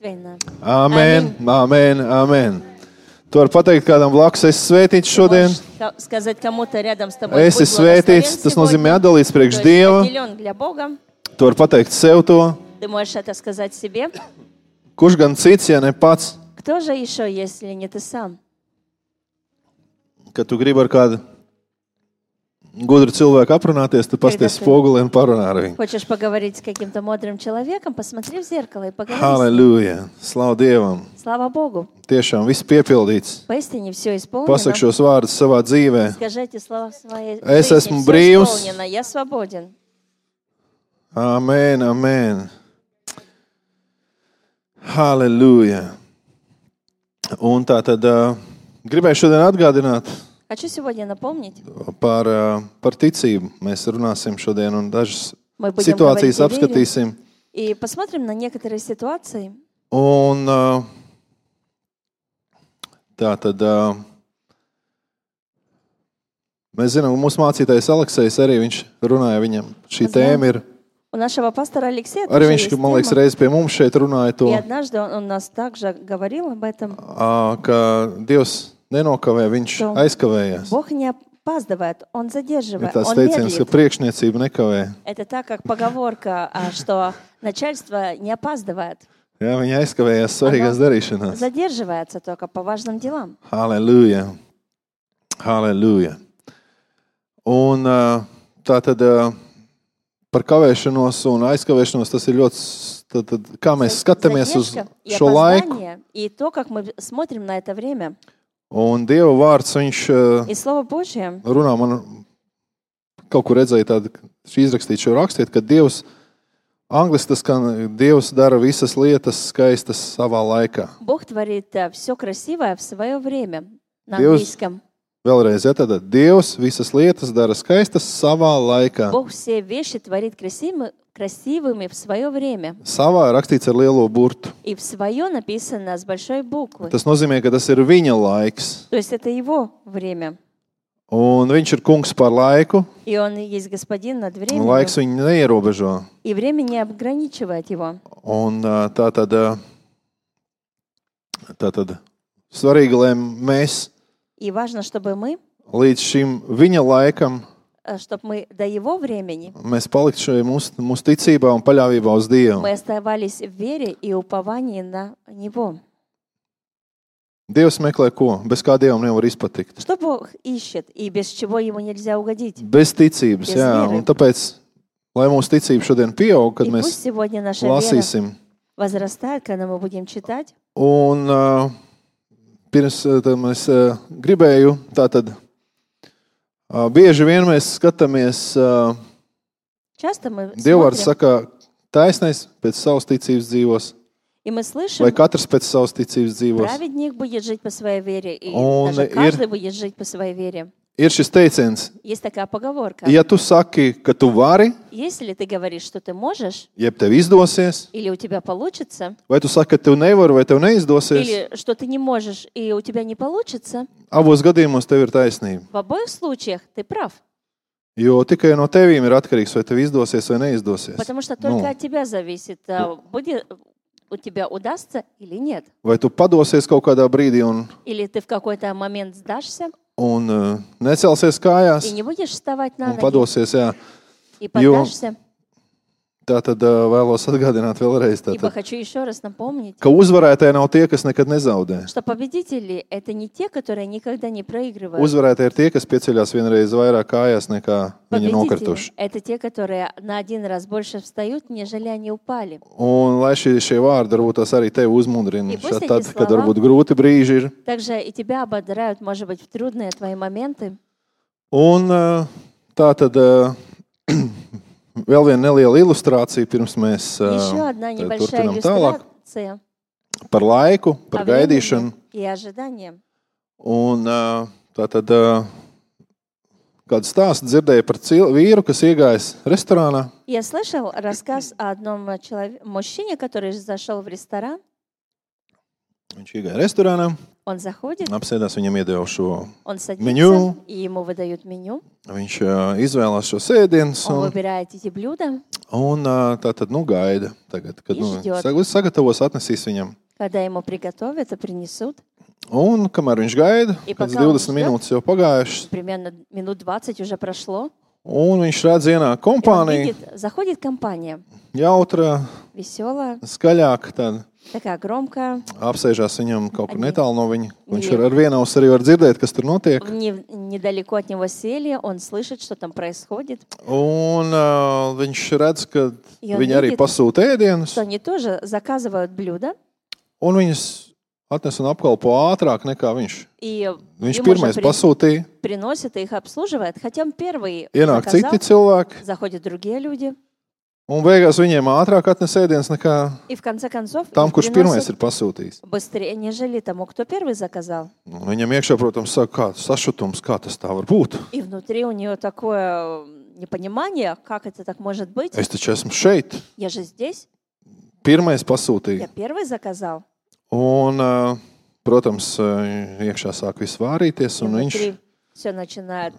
Amen, amen, amen. Tu vari pateikt kādam blakus, esi svētīts šodien. Esi svētīts, tas nozīmē atdalīts priekš Dieva. Tu vari pateikt sev to. Kurš gan cits, ja ne pats? Kad tu gribi ar kādu gudru cilvēku aprunāties, tu pasties spoguli un parunā ar viņu. Хочешь поговорить с каким-то мудрым человеком, посмотри в зеркало и поговори. Halleluja! Slavu Dievam! Слава Богу! Tiešām viss piepildīts. Поистине все исполнено. Pasaki šos vārdus savā dzīvē. Скажи эти слова в своей Es жизни. esmu Всё brīvs. исполнено. Я свободен. Amen, amen. Halleluja! Un tā tad gribēju šodien atgādināt Хочу сегодня напомнить. Par ticību. Mēs runāsim šodien un dažas Мы будем situācijas говорить о apskatīsim. вере и посмотрим на некоторые ситуации. Un tā tad mēs zinām, ka mūsu mācītājs Aleksejs arī viņš runāja viņam. Šī tēma ir. У нашего пастора Алексея Arī тоже viņš, есть man liekas, тема. reiz pie mums šeit runāja to, И однажды он нас также говорил об этом. ka Dievs nenokavē, viņš Что aizkavējās. Бог не опаздывает, Он Ir задерживает, tāds Он teiciens, ka медлит. priekšniecība nekavē. Это так, как поговорка, что начальство не опаздывает, Jā, viņi aizkavējās svarīgās darīšanās. задерживается только по важным делам. Halleluja! Halleluja! Un tā tad par kavēšanos un aizkavēšanos tas ir ļoti, tad, kā mēs skatāmies uz Задержка и šo laiku. опоздание, и то, как мы смотрим на это время. Un Dieva vārds, viņš И Слово Божье, runā, man kaut kur redzēja tādu, izrakstīt šo rakstiet, ka Dievs, angliski tas, ka Dievs dara visas lietas skaistas savā laikā. Бог творит все красивое в свое время. На Dievs, английском. vēlreiz, ja tad Dievs visas lietas dara skaistas savā laikā. Бог все вещи творит красивыми в свое время. Savā rakstīts ar lielo burtu. И в свое написано с большой буквы. Tas nozīmē, ka tas ir viņa laiks. То есть это его время. Un viņš ir kungs par laiku, И он есть господин над un временем. laiks viņu neierobežo. И время не ограничивает его. Un tā tad svarīgi, lai mēs И важно, чтобы мы, līdz šim viņa laikam чтобы мы до его времени, mēs paliktu šajā mūsu ticībā un paļāvībā uz Dievu. мы оставались в вере и уповании на него. Dievs meklē ko? Bez kā Dievam nevar izpatikt. Что Бог ищет и без чего ему nельзя угодить? Bez ticības, Bez jā. viery. Un tāpēc, lai mūsu ticība šodien pieaug, kad И mēs пусть сегодня наша вера lasīsim. возрастает, когда мы будем читать. Un pirms tam es gribēju, tātad bieži vien mēs skatāmies, Часто мы Dievvārds смотрим, saka, taisnais pēc savas ticības dzīvos, и мы слышим, vai katrs pēc savas ticības dzīvos. праведник будет жить по своей вере, и Он даже каждый будет жить по своей вере. Ir šis teiciens, Есть такая поговорка. ja tu saki, ka tu vari, Если ты говоришь, что ты можешь, jeb tev izdosies, или у тебя получится, vai tu saki, ka tev nevar, vai tev neizdosies, или что ты не можешь, и у тебя не получится, abos gadījumos tev ir taisnība. в обоих случаях ты прав. Jo tikai no tevīm ir atkarīgs, vai tev izdosies vai neizdosies. Потому что только от тебя зависит, будет у тебя удастся или нет. Vai tu padosies kaut kādā brīdī Или ты в какой-то момент сдашься un necelsies kājās и не будешь вставать на un ноги, padosies, jā. и поддашься. Tā tad vēlos atgādināt vēlreiz, Ибо tātad, хочу еще раз напомнить, ka uzvarētāji nav tie, kas nekad nezaudē. что победители — это не те, которые никогда не проигрывают. Uzvarētāji ir tie, kas pieceļās vienreiz vairāk kājās nekā viņi nokrituši. Победители — это те, которые на один раз больше встают, нежели они упали. Un lai šie vārdi varbūt tās arī tevi uzmundrina, И пусть tad, эти kad слова- varbūt grūti brīži ir. Также и тебя ободряют, может быть, в трудные твои моменты. Un tā tad vēl viena neliela ilustrācija, pirms mēs Еще одна tad небольшая turpinām tālāk иллюстрация par laiku, par о времени gaidīšanu. и ожидании. Un tā tad kādu stāstu dzirdēju par vīru, kas iegājis restorānā. Я слышал рассказ о одном мужчине, который зашел в ресторан, Viņš iegāja restorānā, Он заходит, apsēdās, viņam iedeva šo он садится, меню. и ему выдают меню. Viņš izvēlās šo sēdienus Он un, выбирает эти блюда. un tā tad gaida, tagad, kad Ižģot. sagatavos, atnesīs viņam. Когда ему приготовят и принесут, Un kamēr viņš gaida, I kāds pakal 20 viņš minūtes jau pagājušas, примерно минут 20 уже прошло, un viņš redz ienāk и он kompānija, видит, заходит компания, jautra, веселая, skaļāka, tad такая громкая, apsēžās viņam kaut kur Они- netālu no viņa. Viņš Viņi- ar vienu ausi arī var dzirdēt, kas tur notiek. недалеко от него сели, он слышит, что там происходит, Un viņš redz, ka И он viņi arī видит, pasūta ēdienus, что они тоже заказывают блюда, un viņas atnes un apkalpo ātrāk nekā viņš. и Viņš им pirmais уже pasūtīja, приносит и их обслуживает, хотя он первый ienāk заказал, citi cilvēki, заходят другие люди, un beigās viņiem ātrāk atnes ēdienas nekā и в конце концов tam, их kurš pirmais приносят ir pasūtījis. быстрее, нежели тому, кто первый заказал. Un viņam iekšā, protams, saka, kāds sašutums, kā tas tā var būt. И внутри у нее такое непонимание, как это так может быть. Es taču esmu šeit, Я же здесь, pirmais я pasūtīju. первый заказал. Un, protams, iekšā sāk viss vārīties, И un viņš внутри все начинает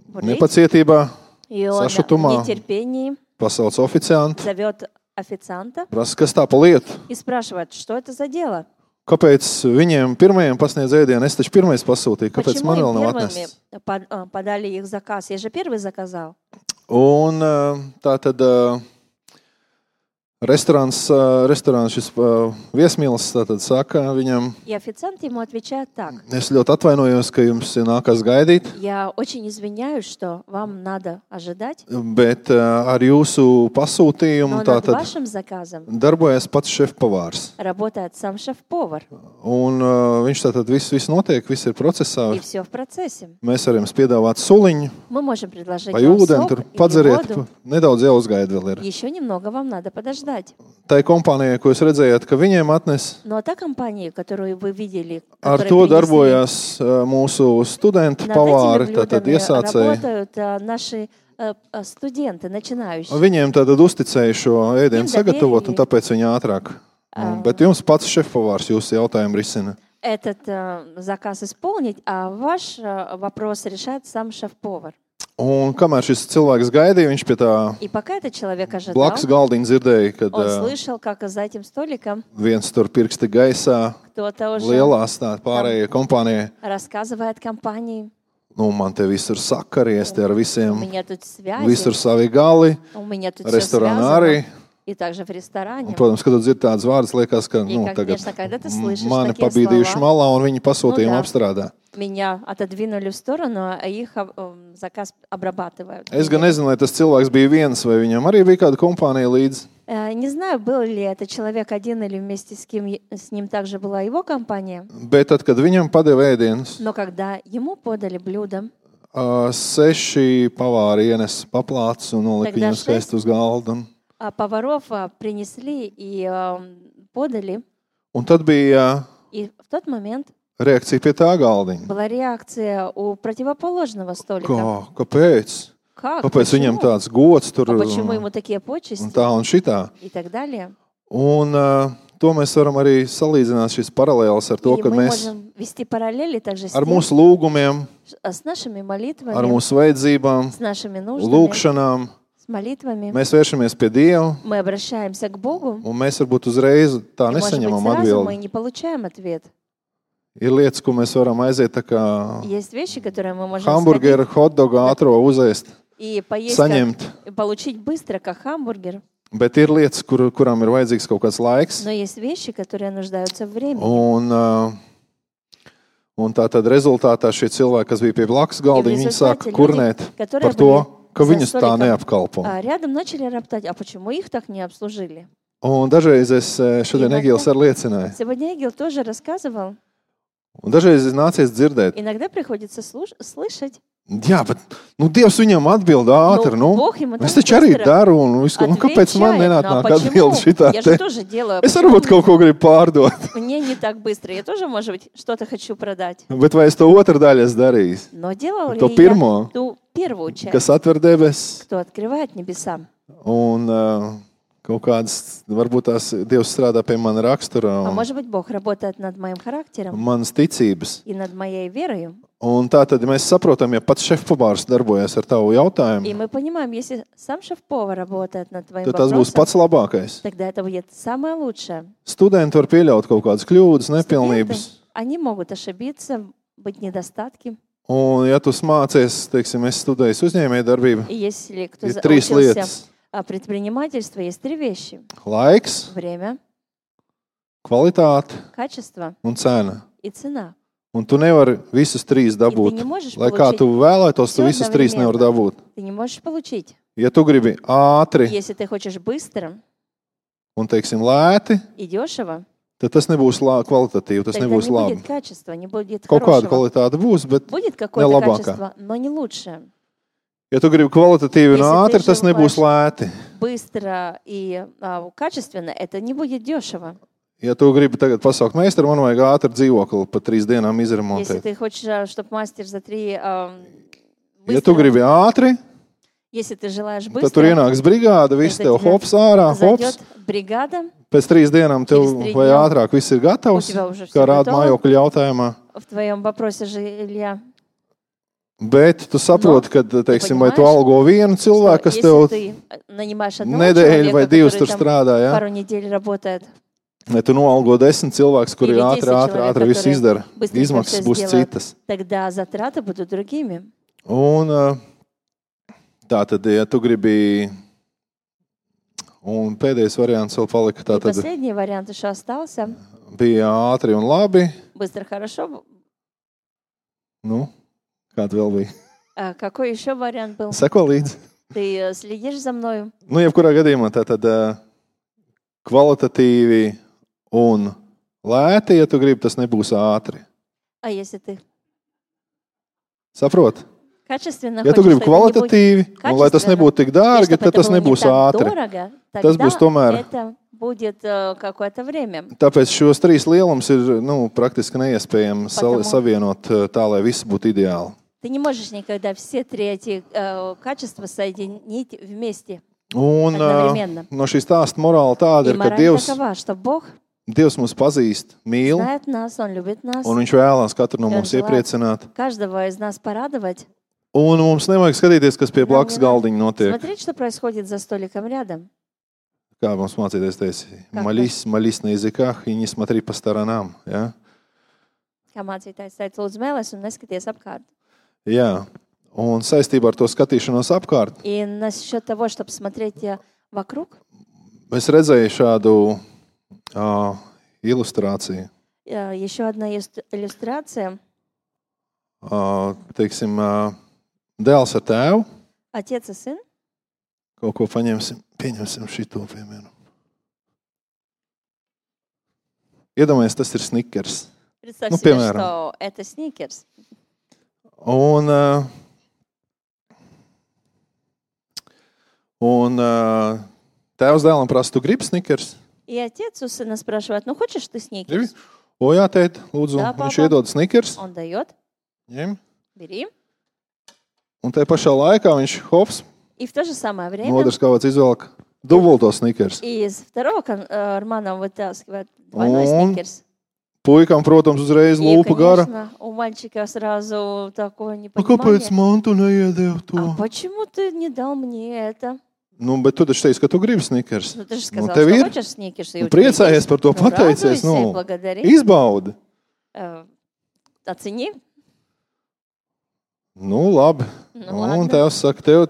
бурлить. nepacietībā И он в sašutumā нетерпении pasauc oficiantu, зовет официанта prasa, kas tā pa lietu. и спрашивает, что это за дело? Kāpēc viņiem pirmajiem pasniedz ēdienu? Es taču pirmais pasūtīju, kāpēc Почему man vēl им nav первыми atnests? подали их заказ? Я же первый заказал. Un tā tad restorāns šis viesmīlis tātad saka viņam, И официант ему отвечает так. es ļoti atvainojos, ka jums ir nākas gaidīt, Я очень извиняюсь, что вам надо ожидать, bet ar jūsu pasūtījumu но над tātad вашим заказом darbojas pats šefpavārs. работает сам шеф-повар. Un viņš tātad viss notiek, viss ir procesā. И все в процессе. Mēs varam piedāvāt suliņu, Мы можем предложить vai вам ūdeni, сок tur или padzeriet, воду. nedaudz jau uzgaida vēl ir. Еще немного вам надо подождать. Tai kompānijai, ko jūs redzējāt, ka viņiem atnes, Но та компания, которую вы видели, ar которая to принесли, darbojās mūsu studenti, над pavāri, этими tātad блюдами iesācēji. работают наши студенты, начинающие. Viņiem tad uzticēja šo ēdienu Viņiem sagatavot, dabīgi. un tāpēc viņi ātrāk. Bet jums pats šefpavārs jūsu jautājumu risina. Этот заказ исполнить, а ваш вопрос решает сам шеф-повар. Un kamēr šis cilvēks gaidīja, viņš pie tā И пока этот человек ожидал, blakus galdiņa dzirdēja, kad он слышал, как за этим столиком viens tur pirksti gaisā, кто-то уже lielās tā pārējie kompānijai. рассказывает компании. Nu, man te viss ir sakaries, te ar У visiem, меня тут связи, visur savi gali, у меня тут все restorānā arī. связано. И также в ресторане. Un, protams, kad tu dzirdi tādas vārdas, liekas, ka И, tagad конечно, когда ты слышишь mani такие pabīdījuši слова, malā un viņi pasūtījumu да. apstrādā. меня отодвинули в сторону, а их заказ обрабатывают. Es gan nezinu, vai tas cilvēks bija viens, vai viņam arī bija kāda kompānija līdzi. Не знаю, был ли это человек один или вместе с ним также была его компания, Bet tad, kad viņam padeva ēdienus, но когда ему подали блюдо, 6 pavāri ienes paplāts un nolika Тогда viņu skaisti uz galda. поваров принесли и подали, Un tad bija и в тот момент reakcija pie tā galdiņa. была реакция у противоположного столика. Kāpēc? Как? Kāpēc viņam Почему? tāds gods tur А почему un ему такие почести tā un šitā? и так далее? Un to mēs varam arī salīdzināt šīs paralēlas ar to, И ka мы mēs можем вести параллели также с ar тем, mūsu lūgumiem, с нашими молитвами, ar mūsu vajadzībām, с нашими нуждами, lūgšanām, с молитвами. mēs vēršamies pie Dieva, Мы обращаемся к Богу, un mēs varbūt uzreiz tā и, может быть, nesaņemam сразу мы atbildi. не получаем ответ. Ir lietas, ko mēs varam aiziet tā kā Есть вещи, которые мы можем hamburgeru, hotdogu ātro uzēst, и поесть, saņemt. и получить быстро, как хамбургер. Bet ir lietas, kurām ir vajadzīgs kaut kāds laiks. Но есть вещи, которые нуждаются в времени. Un tā tad rezultātā šie cilvēki, kas bija pie blakus galdiņa, viņi sāka люди, kurnēt которые par to, были ka за viņus tā столиком, neapkalpo. Рядом начали роптать, а почему их так не обслужили? Un dažreiz es šodien Иногда- Egils arī liecināju. Сегодня Эгил тоже рассказывал. Un dažreiz es nācies dzirdēt, Иногда приходится слышать. jā, bet Dievs viņam atbild ātri. Ну, Бог ему Es так taču arī быстро daru, un kāpēc man отвечает. nenāk Ну, а atbild почему? šitā Я te? же тоже делаю. Es Почему varbūt kaut ko gribu pārdot, мне не так быстро? Я тоже, может быть, что-то хочу продать. bet vai es to otru daļu esmu darījis? Но делал ли To я pirmo, ту первую часть, kas atver debesis? кто открывает небеса? Un kaut kādas, varbūt tās Dievs strādā pie mana rakstura А un может быть, Бог работает над моим характером manas ticības. и над моей верою. Un tā tad mēs saprotam, ja pats šefpavārs darbojas ar tavu И jautājumu, мы понимаем, если сам шеф-повар работает над твоим tad tas būs вопросом, pats labākais. тогда это будет самое лучшее. Studenti var pieļaut kaut kādas kļūdas, nepilnības. Студенты, они могут ошибиться, быть недостатки. Un, ja tu mācies, teiksim, es studēju uzņēmējdarbību, И если кто ir trīs учился lietas. предпринимательство, есть три вещи. Laiks, Время, kvalitāte качество un cena. и цена. Un tu nevari visus trīs dabūt. не можешь Lai kā получить tu vēlētos, tu всё visus trīs nevar одновременно. dabūt. Ты не можешь получить. Ja tu gribi ātri Если ты хочешь быстро un, teiksim, lēti, и дешево, tad tas nebūs kvalitatīvi, tas тогда nebūs не labi. будет качества, не будет Kaut kāda хорошего. kvalitāte būs, bet Будет какое-то labākā. качество, но не лучшее. ja tu gribi kvalitatīvi un Если ты ātri, tas nebūs lēti. Быстро и качественно, это не будет дешево. Ja tu gribi tagad pasaukt meistaru, man vajag ātri dzīvokli pa 3 dienām Если izremontēt. ты хочешь, чтобы мастер за 3 Ja tu gribi ātri, если ты желаешь tad tur быстро, ienāks brigāde, viss Tad tev тебе hops ārā, hops. зайдет бригада, Pēc 3 dienām tev Через 3 vai дня ātrāk viss ir gatavs, у тебя уже kā всё rāda готово. mājokļu jautājumā. в твоем вопросе жилья. Bet tu saproti, ka, teiksim, vai tu понимаешь, algo vienu cilvēku, kas Если tev ты нанимаешь одного nedēļu vai человека, 2 который tur там strādā, ja? пару недель работает, Vai tu noalgo 10 cilvēkus, kuri Или 10 ātri visu человек, izdara. которые быстренько Izmaksas всё būs сделают. citas. тогда затраты будут другими. Un tā tad, ja tu gribi, un pēdējais variants vēl palika, tā И tad последний вариант еще остался. bija ātri un labi. Быстро, хорошо. Nu, kāda vēl bija? А какой еще вариант был? Seko līdzi. Ты следишь за мною? Nu, jebkurā gadījumā tā tad kvalitatīvi un lēti, ja tu gribi, tas nebūs ātri. А если ты Saproti? качественно Ja tu хочешь, gribi что это не будет kvalitatīvi, un lai tas качественно, nebūtu tik и dārgi, чтобы tad это tas было не nebūs так ātri. дорого, Tas būs тогда tomēr. это будет какое-то время. Tāpēc šos 3 lielumus ir praktiski neiespējami Потому- savienot tā, lai viss būtu ideāli. Ты не можешь никогда все 3 эти качества соединить вместе. Un Одновременно. no šīs stāsta morāla tāda И ir, ka мораль Dievs такова, что Бог Dievs mūs pazīst, mīl, знает нас, Он любит нас, un Viņš vēlās katru no Un mums желает iepriecināt. каждого из нас порадовать. Un mums nevajag skatīties, kas pie Нам blakus не надо galdiņa notiek. Смотреть, что происходит за столиком рядом. Kā mums mācīties, teica, Как maļis na языках и не смотри по сторонам. Ja? Kā mācītājs teica, lūdzu mēlēs un neskaties apkārt. Jā, un saistībā ar to skatīšanos apkārt, И насчет того, чтобы смотреть вокруг, es redzēju šādu ilustrāciju. еще одна иллюстрация. Teiksim, dēls ar tēvu. Отец и сын. Kaut ko pieņemsim šito, piemēram. Iedomājies, tas ir snikers. Представь себе, piemēram. что это сникерс. Un tēvs dēlam prasa, tu gribi snikers? И отец у сына спрашивает, ну хочешь ты Gribi? сникерс? O, jā, tēt, lūdzu, Jā, viņš papa. iedod snikers. Он дает, Ņem. бери. Un tajā pašā laikā viņš hops, И в то же самое время no otras kāds izvelk dubulto snikers. из второго кармана вытаскивает двойной Он сникерс. Puikam, protams, uzreiz И, lūpa gara. конечно, у мальчика сразу такое Kāpēc непонимание. man tu neiedevi А to? почему ты не дал мне это? Nu, bet tu taču teici, ka tu gribi snikers. Ну, ты же сказал, tev что ir. хочешь сникерс. и Nu, у тебя priecājies есть. par to, Ну, pateicies. радуйся и Nu, благодари. izbaudi. Оцени. Nu, labi. Nu, Un ладно. tevs saka,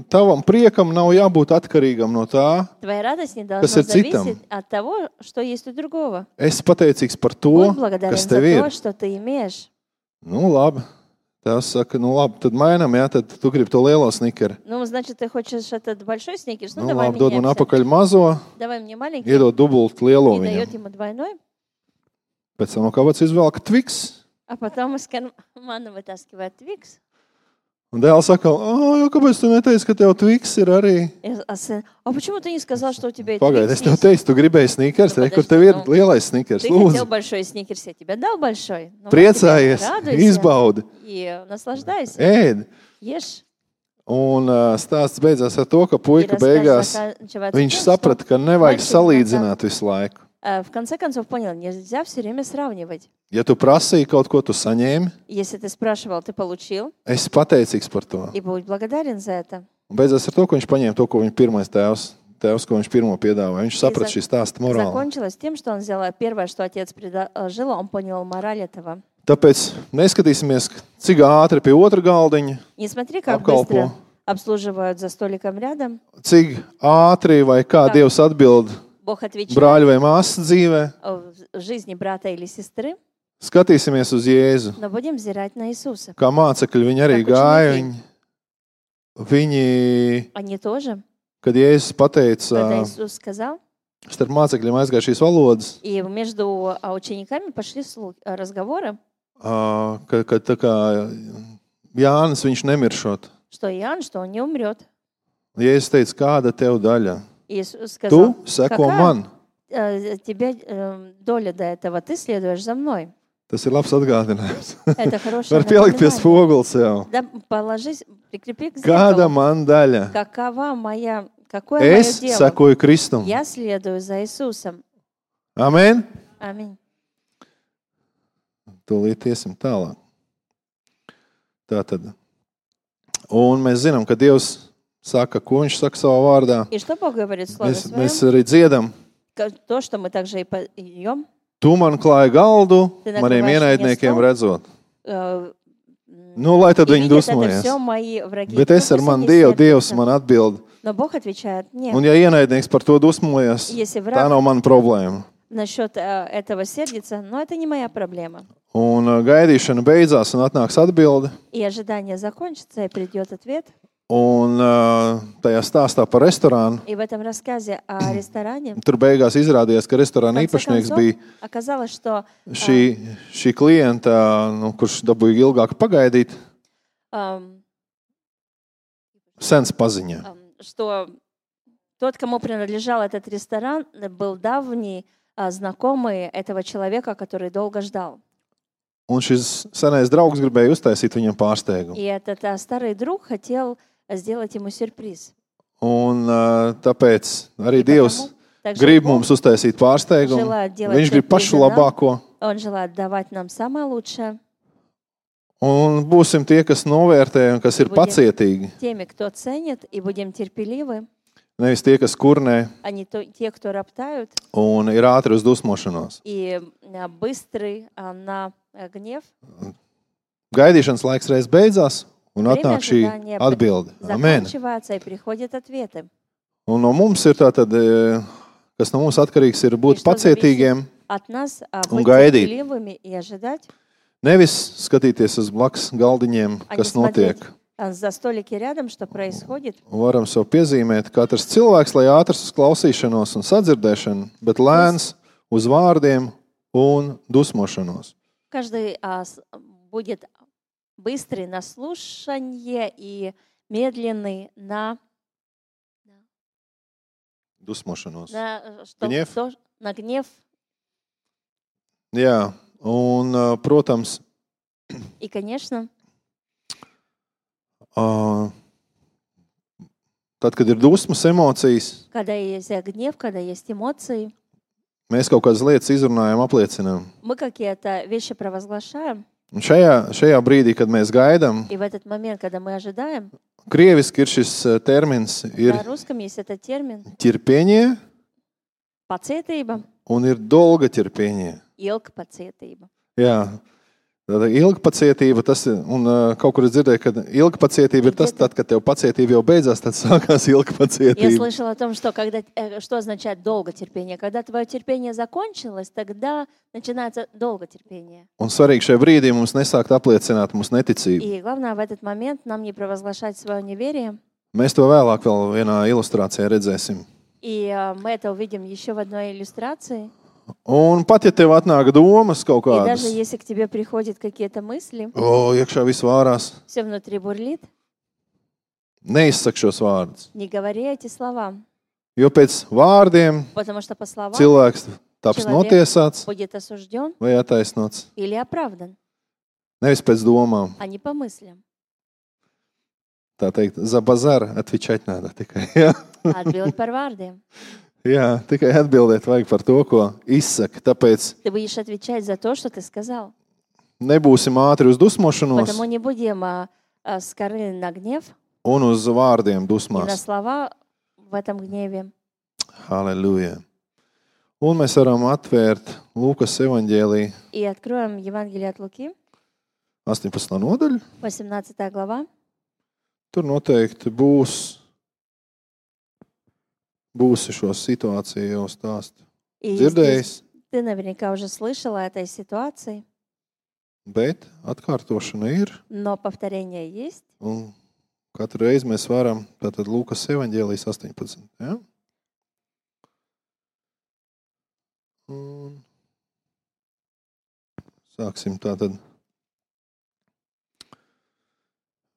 tavam priekam nav jābūt atkarīgam no tā. Твоя радость не Kas должна ir citam? зависеть от того, что есть у другого. Es pateicīgs par to, Будь благодарен kas за tev ir. то, что ты имеешь. Nu, labi. Tevs saka, nu, labi, tad mainām, jā, tad tu gribi to lielo snikeri. Ну, значит, ты хочешь этот большой сникерс? Ну, Nu, давай labi, dod man меняемся. apakaļ mazo, Давай мне маленький. iedod dubult lielo И дает viņam. ему двойной. Pēc tam no kāpēc izvelk tviks. А потом из кармана вытаскивает твикс. Un dēls saka, kāpēc tu neteici, ka tev tviks ir arī? А сын, а почему ты не сказал, что у тебя есть Pagaid, es tev teicu, tu gribēji snikers, Nu, kur подожди, tev ir nu, lielais snikers. Ты хотел Lūdzu, большой сникерс, я тебе дал большой. Ну, вот priecājies, тебе радуйся izbaudi, и наслаждайся. ēd. Ешь. Un stāsts beidzās ar to, ka И puika рассказ beigās заканчивается viņš тем, что saprata, ka nevajag мальчик salīdzināt visu laiku. в конце концов понял, нельзя все время сравнивать. Ja tu prasīji kaut ko, tu saņēmi, Если ты спрашивал, ты получил, esi pateicīgs par to. и будь благодарен за это. Un beidzās ar to, ka viņš paņēma to, ko viņa pirmais tēvs, ko viņš pirmo piedāvāja. Viņš saprata šī stāsta morāli. Закончилось тем, что он взял первое, что отец предложил, он понял мораль этого. Tāpēc neskatīsimies, cik ātri pie otra galdiņa, Не смотри, как apkalpo, быстро обслуживают за столиком рядом. cik ātri vai kā Tā. Dievs atbild Бог отвечает brāļa vai māsas dzīvē. в жизни брата или сестры, Skatīsimies uz Jēzu. но будем взирать на Иисуса. Kā mācekļi viņi arī Kā gāja. učeniki. Viņi, Они тоже, kad Jēzus pateica, когда Иисус сказал, starp mācekļiem aizgāja šīs valodas, и между учениками пошли разговоры, ka tā kā Jānis viņš nemiršot. что Иоанн, что он не умрет. Jēzus teica, kāda tev daļa? Иисус Tu сказал, seko какая man. тебе доля до этого, ты следуешь за мной. Tas ir labs atgādinājums. Это хорошее Var pielikt pie напоминание. spoguļa sev. Да, положись, прикрепи к Kāda зеркалу. man daļa? Какое мое Es дело? sekoju Kristum. Я следую за Иисусом. Amen. Аминь. Tūlīt iesim tālāk. Tātad. Un mēs zinām, ka Dievs saka, ko viņš saka savā vārdā. И что Бог говорит в Слове Mēs Своем? arī dziedam. То, что мы также и поем. Tu man klāji galdu Ты maniem накрываешь ienaidniekiem мне стол. redzot. Nu, lai tad И viņi видят это dusmojas. все мои враги. Bet Ну, es ar пусть mani они Dievu, Dievs сердятся. man atbild. Но Бог отвечает, нет. Un ja ienaidnieks par to dusmojas, Если tā враг nav mana problēma. насчет этого сердится, но это не моя проблема. Un gaidīšana beidzās un atnāks atbilde. И ожидание закончится, и придет ответ. Un tajā stāstā par restorānu, И в этом рассказе о ресторане tur beigās izrādījās, ka в restorāna конце īpašnieks концов bija оказалось, что šī klienta, kurš dabūja ilgāk pagaidīt, ам, sens paziņā. что тот, кому принадлежал этот ресторан, был давний знакомый этого человека, который долго ждал. Un šis senais draugs gribēja uztaisīt viņam pārsteigumu. И этот старый друг хотел сделать ему сюрприз. Un tāpēc arī И Dievs потому также grib Бог, mums uztaisīt pārsteigumu. желает делать Viņš grib pašu сюрпризы нам. labāko. Он желает давать нам самое лучшее. Un būsim tie, kas novērtē un kas ir Будем pacietīgi. теми, кто ценит, и будем терпеливы, Nevis tie, kas kurnē а не те, кто роптают, un ir ātri uz dusmošanos. и быстрый на гнев. Gaidīšanas laiks reiz beidzās un Время atnāk šī ожидания atbilde. Amen. Заканчивается, и приходят ответы. Un no mums ir tātad, kas no mums atkarīgs, ir būt И что зависит pacietīgiem, от нас Un быть gaidīt. терпеливыми и ожидать, nevis skatīties uz blakus galdiņiem, а не kas смотреть notiek. за столики рядом, что происходит. Varam sev piezīmēt, katrs cilvēks, lai ātrs uz klausīšanos un sadzirdēšanu, bet lēns uz vārdiem un dusmošanos. Каждый будет быстрый на слушание и медленный на Dusmošanos. что, на гнев. Jā, un, protams, И, конечно, tad, kad ir dusmas, emocijas, когда есть гнев, когда есть эмоции, mēs kaut kādas lietas izrunājam, apliecinām. мы какие-то вещи провозглашаем, Un šajā brīdī, kad mēs gaidām, и в этот момент, когда мы ожидаем, krieviski ir šis termins, ir на русском есть этот термин ķirpieņie pacietība, un ir dolga ķirpieņie. ilgpacietība. Jā, tāda ilgpacietība, tas ir, un kaut kur es dzirdēju, ka ilgpacietība ir tas, tad, kad tev pacietība jau beidzās, tad sākās Я ilgpacietība. слышала о том, что, что означает долготерпение. Когда твое терпение закончилось, тогда начинается долготерпение. Un svarīgi šajā brīdī mums nesākt apliecināt mūsu neticību. И главное в этот момент нам не провозглашать свое неверие. Mēs to vēlāk vēl vienā ilustrācijā redzēsim. И мы это увидим еще в одной иллюстрации. Un pat, ja tev atnāk domas kaut И даже kādas, если к тебе приходят какие-то мысли, iekšā viss vārās, все внутри бурлит, neizsak šos vārdus. не говори эти слова, Jo pēc vārdiem потому что по словам cilvēks taps Человек notiesāts будет осужден vai attaisnots. или оправдан, Nevis pēc domām. а не по мыслям. tā teikt, za bazar atvičать надо tikai. Jā, Atbild par vārdiem. jā, tikai atbildēt vajag par to, ko izsaka. Tāpēc Ты будешь отвечать за то, что ты сказал. nebūsim ātri uz dusmošanos Потому не будем скоры на гнев un uz vārdiem и на dusmās. слова в этом гневе. Halleluja. Un mēs varam atvērt Lūkas evaņģēliju И откроем Евангелие от Луки, 18. nodaļu. 18 глава. Tur noteikti būsi šo situāciju jau stāstu И dzirdējis, здесь ты наверняка уже слышал о этой ситуации, bet atkārtošana ir. но повторение есть. Un katru reizi mēs varam, tātad Lūkas evaņģēlijas 18. Ja? Un sāksim tātad.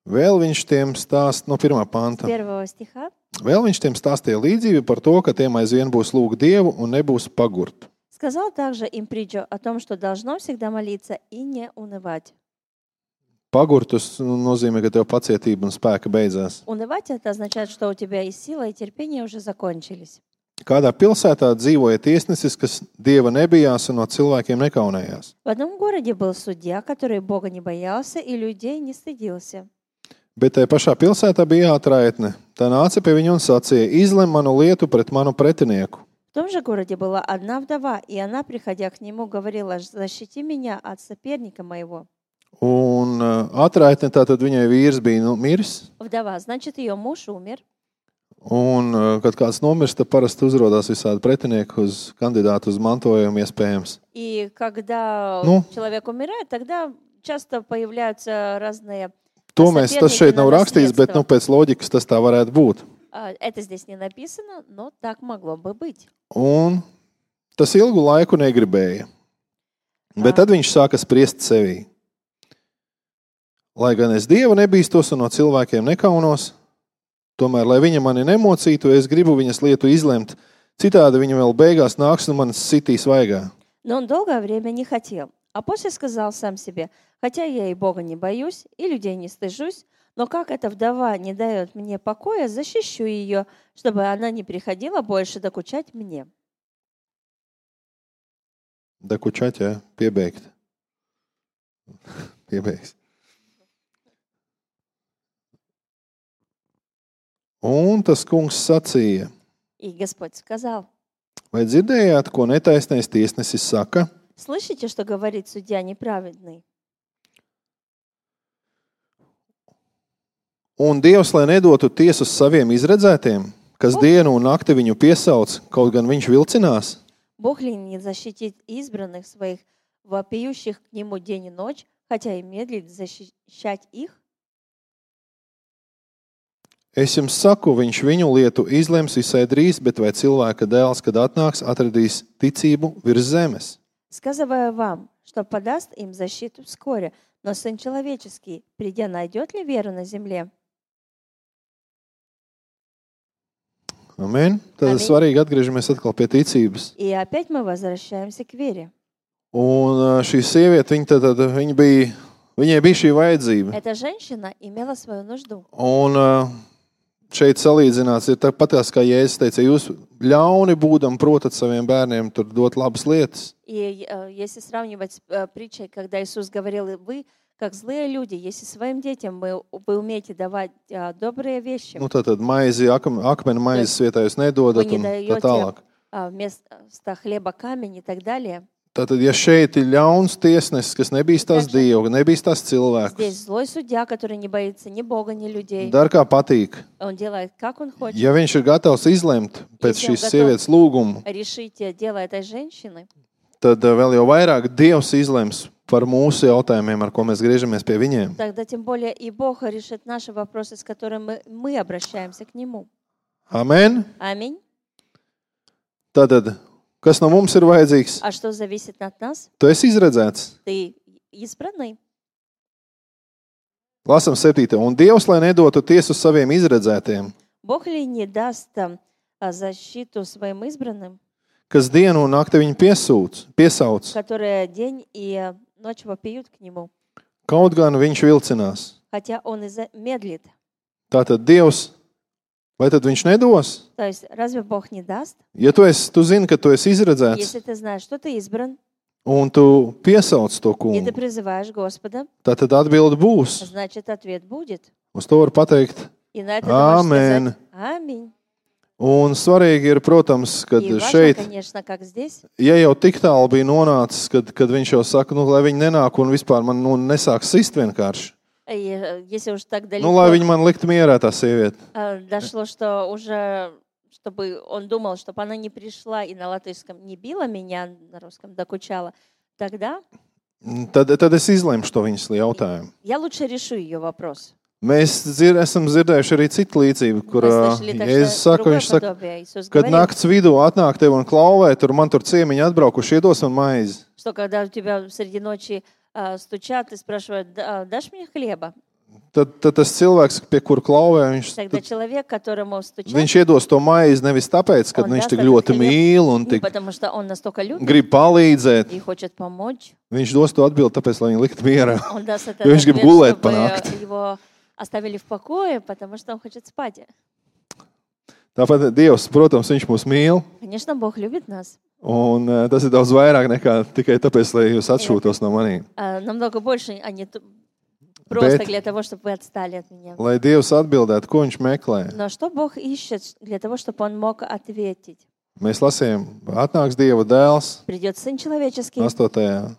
Vēl viņš tiem stāst no 1. panta. 1 стиха. Vēl viņš tiem stāstīja līdzību par to, ka tiem aizvien būs lūgt Dievu un nebūs pagurt. Сказал также им притчу о том, что должно всегда молиться и не унывать. Pagurt tas nozīmē, ka tev pacietība un spēka beidzās. Унывать это означает, что у тебя и сила, и терпение уже закончились. Kādā pilsētā dzīvoja tiesnesis, kas Dieva nebijās un no cilvēkiem nekaunējās. В одном городе был судья, который Бога не боялся и людей не стыдился. Bet tajā pašā pilsētā bija ātraitne. Tā nāca pie viņa un sacīja: izlem manu lietu pret manu pretinieku. В том же городе была одна вдова, и она, приходя к нему, говорила: «Защити меня от соперника моего». Un ātraitne tātad viņai vīrs bija miris. Вдова, значит, ее муж умер. Un, kad kāds nomirst, tad parasti uzrodās visādi pretinieki uz kandidātu uz mantojumu iespējams. И когда человек умирает, тогда часто появляются разные To mēs, tas šeit nav rakstīts, bet pēc loģikas tas tā varētu būt. Это здесь не написано, но так могло бы быть. Un tas ilgu laiku negribēja. Bet tad viņš sāka spriest sevī. Lai gan es Dievu nebīstos un no cilvēkiem nekaunos, tomēr, lai viņa mani nemocītu, es gribu viņas lietu izlemt. Citādi viņa vēl beigās nāks un manis sitīs vaigā. Но он долгое время не хотел. А после сказал сам себе: хотя я и Бога не боюсь, и людей не стыжусь, но как эта вдова не дает мне покоя, защищу ее, чтобы она не приходила больше докучать мне. Dekučать, jā, piebeigt. Piebeigs. Un tas kungs sacīja: И Господь сказал: vai dzirdējāt, ko netaisnais tiesnesis saka? слышите, что говорит судья неправедный? Un Dievs, lai nedotu tiesu saviem izredzētiem, kas dienu un nakti viņu piesauc, kaut gan viņš vilcinās. Бог ли не защитит избранных своих, вопиющих к Нему день и ночь, хотя и медлит защищать их? Es jums saku, viņš viņu lietu izlems visai drīz, bet vai cilvēka dēls, kad atnāks, atradīs ticību virs zemes? Сказываю вам, что подаст им защиту вскоре, но Сын Человеческий, придя, найдет ли веру на земле? Amen. Tad svarīgi atgriežamies atkal pie ticības. И опять мы возвращаемся к вере. Un šī sieviete, viņai bija šī vajadzība. Эта женщина имела свою нужду. Un šeit salīdzināts ir tāpat, kā Jēzus teica, jūs ļauni būdam protat saviem bērniem tur dot labas lietas. И если сравнивать с притчей, когда Иисус говорил: вы, как злые люди, если своим детям вы умеете давать добрые вещи, Tad maizi, akmeni maizes vietā jūs nedodat вы не un tā даете tālāk. вместо хлеба камень и так далее. Tātad, ja šeit ir ļauns tiesnesis, kas nebīstās Dievu, nebīstās cilvēkus, Здесь злой судья, который не боится ни Бога, ни людей. dar kā patīk. Он делает, как он хочет. Ja viņš ir gatavs izlemt pēc Если он šīs готов sievietes lūgumu, решить дело этой женщины, tad vēl jau vairāk Dievs izlems par mūsu jautājumiem, ar ko mēs griežamies pie viņiem. тогда тем более и Бог решит наши вопросы, с которыми мы обращаемся к Нему. Amen. Аминь. Tātad, kas no mums ir vajadzīgs? А что зависит от нас? Tu esi izredzēts. Ты избранный. Lasam 7. Un Dievs, lai nedotu tiesu saviem izredzētiem, Бог ли не даст защиту своим избранным, kas dienu un nakti viņu piesauc, которые день и ночь вопиют к Нему, kaut gan viņš vilcinās. хотя Он и медлит. Tātad Dievs, vai tad viņš nedos? То есть разве Бог не даст? Ja tu zini, ka tu esi izredzēts, Если ты знаешь, что ты избран, un tu piesauc to и kungu, ты призываешь Господа, tad atbilde būs. значит, ответ будет. Uz to var pateikt И на это ты можешь Āmen. сказать «Аминь». Un svarīgi ir, protams, kad И важно, šeit, конечно, как здесь, ja jau tik tālu bija nonācis, kad viņš jau saka, lai viņi nenāk un vispār man nesāk sist vienkārši. и, если уж так далеко Lai viņi man likt mierā, tā sieviete. дошло, что уже, чтобы он думал, чтобы она не пришла и на латышском не била меня, на русском докучала, тогда Tad es izlemšu to viņas jautājumu. я лучше решу ее вопрос. Mēs esam dzirdējuši arī citu līdzību, kur Мы слышали так, Jēzus что saka, другое viņš saka, подобие. Иисус kad говорит, nakts vidū atnāk tev un klauvē, man tur ciemiņi atbraukuši, iedos man maizi. что когда у тебя среди ночи стучат и спрашивают, дашь мне хлеба? Tad tas cilvēks, pie kura klauvē, Тогда человек, которому стучат, viņš iedos to maizi nevis tāpēc, ka Он viņš даст tik этот ļoti хлеб mīl un не tik потому что он настолько любит grib palīdzēt. и хочет помочь. Viņš dos to atbildi, tāpēc, lai viņi liktu mierā. Он даст этот Jo viņš grib ответ, gulēt pa чтобы nakti. его оставили в покое, потому что он хочет спать. Tāpat Dievs, protams, viņš mūs mīl. Конечно, Бог любит нас. Un tas ir daudz vairāk nekā tikai tāpēc, lai jūs atšūtos no maniem. Намного больше, а не просто Bet- для того, чтобы вы отстали от меня. Lai Dievs atbildētu, ko viņš meklē. Но что Бог ищет для того, чтобы Он мог ответить? Mēs lasījām, atnāks Dieva dēls Придет Сын Человеческий, 8.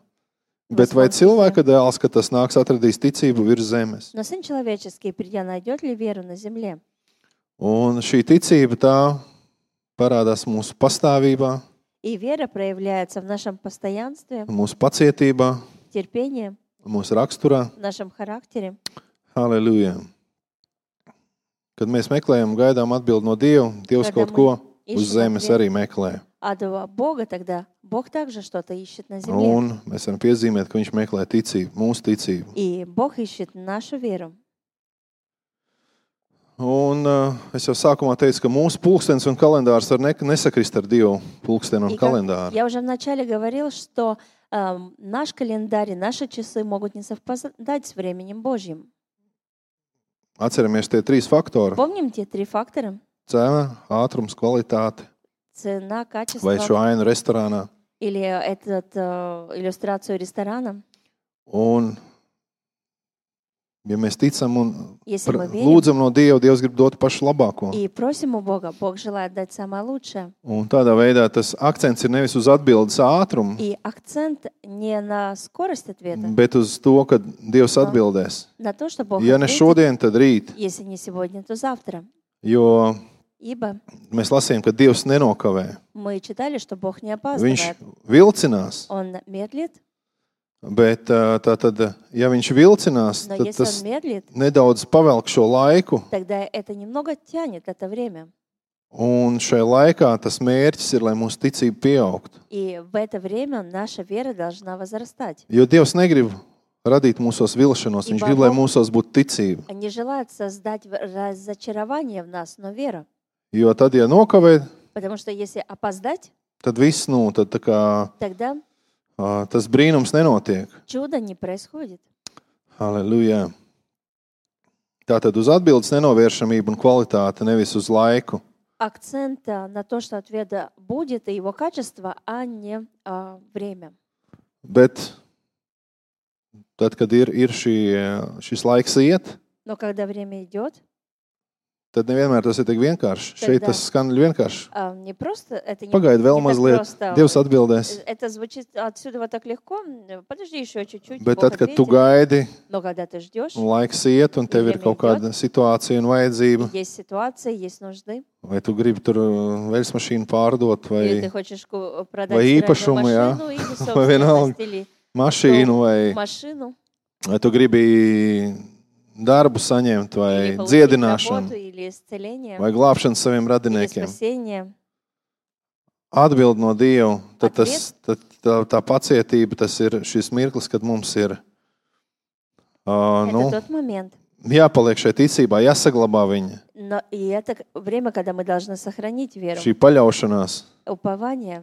Bet vai cilvēka dēls, kad tas nāks, atradīs ticību virs zemes? но Сын Человеческий, придя, найдет ли веру на земле? Un šī ticība tā parādās mūsu pastāvībā, И вера проявляется в нашем постоянстве, mūsu pacietībā, терпении, mūsu raksturā. в нашем характере. Halleluja! Kad mēs meklējam un gaidām atbildi no Dieva, Dievs Когда kaut ko мы uz ищем zemes ответ. arī meklē. А до Бога тогда Бог также что-то ищет на земле. Un mēs varam piezīmēt, ka viņš meklē ticību, mūsu ticību. И Бог ищет нашу веру. Un es jau sākumā teicu, ka mūsu pulkstenis un kalendārs var nesakrist ar Dievu pulksteni un И как kalendāru. я уже вначале говорил, что наш календарь и наши часы могут не совпадать с временем Божьим. Atceramies tie trīs faktori Помним те три фактора? - cena, ātrums, kvalitāte Цена, качество vai šo ainu restorānā. или иллюстрацию ресторана. Un, ja mēs ticam un Если мы верим lūdzam no Dieva, Dievs grib dot pašu labāko. и просим у Бога, Бог желает дать самое лучшее. Un tādā veidā tas akcents ir nevis uz atbildes ātrumu, И акцент не на скорость ответа, bet uz to, ka Dievs atbildēs. на то, что Бог Ja ne ответит, šodien, tad rīt. если не сегодня, то завтра. Jo Ибо mēs lasījām, ka Dievs nenokavē. мы читали, что Бог не Viņš опаздывает. vilcinās, Он медлит, bet tātad, ja viņš vilcinās, но tad если tas Он медлит, nedaudz pavelk šo laiku, тогда это немного тянет это время. un šai laikā tas mērķis ir, lai mūsu ticība pieaugtu. И в это время наша вера должна возрастать. Jo Dievs negrib radīt mūsos vilšanos, viņš grib, lai mūsos būtu ticība. Не желает создать разочарование в нас, но вера. Jo tad, ja nokavē, Потому что если опоздать, tad viss, tad tā kā тогда tas brīnums nenotiek. чудо не происходит. Halleluja! Tātad uz atbildes nenovēršamību un kvalitāti, nevis uz laiku. Акцент на то, что ответа будет, и его качество, а не время. Bet tad, kad ir šis laiks iet, Но когда время идет, tad nevienmēr tas ir tik vienkārši. Šeit tas skan vienkārši. не просто, это не, Pagaidi vēl не так mazliet, просто. Dievs atbildēs. Это звучит отсюда вот так легко. Подожди еще чуть-чуть, Bet Бог tad, kad tu ответит. gaidi, Но когда ты ждешь, un laiks iet, un tev ir kaut kāda situācija un vajadzība, есть ситуация, есть нужды, vai tu gribi tur veļas mašīnu pārdot, или ты vai хочешь продать vai стиральную īpašumu, jā, машину, или vai vienalga собственность, или mašīnu, vai машину, tu gribi darbu saņemt, vai или получить dziedināšanu, работу, или исцеление, vai glābšanu saviem или radiniekiem. спасение. Atbild no Dieva, tad tā pacietība, tas ir šis mirklis, kad mums ir Это тот момент. jāpaliek šai ticībā, jāsaglabā viņa, Но и это время, когда мы должны сохранить веру, šī paļaušanās. упование.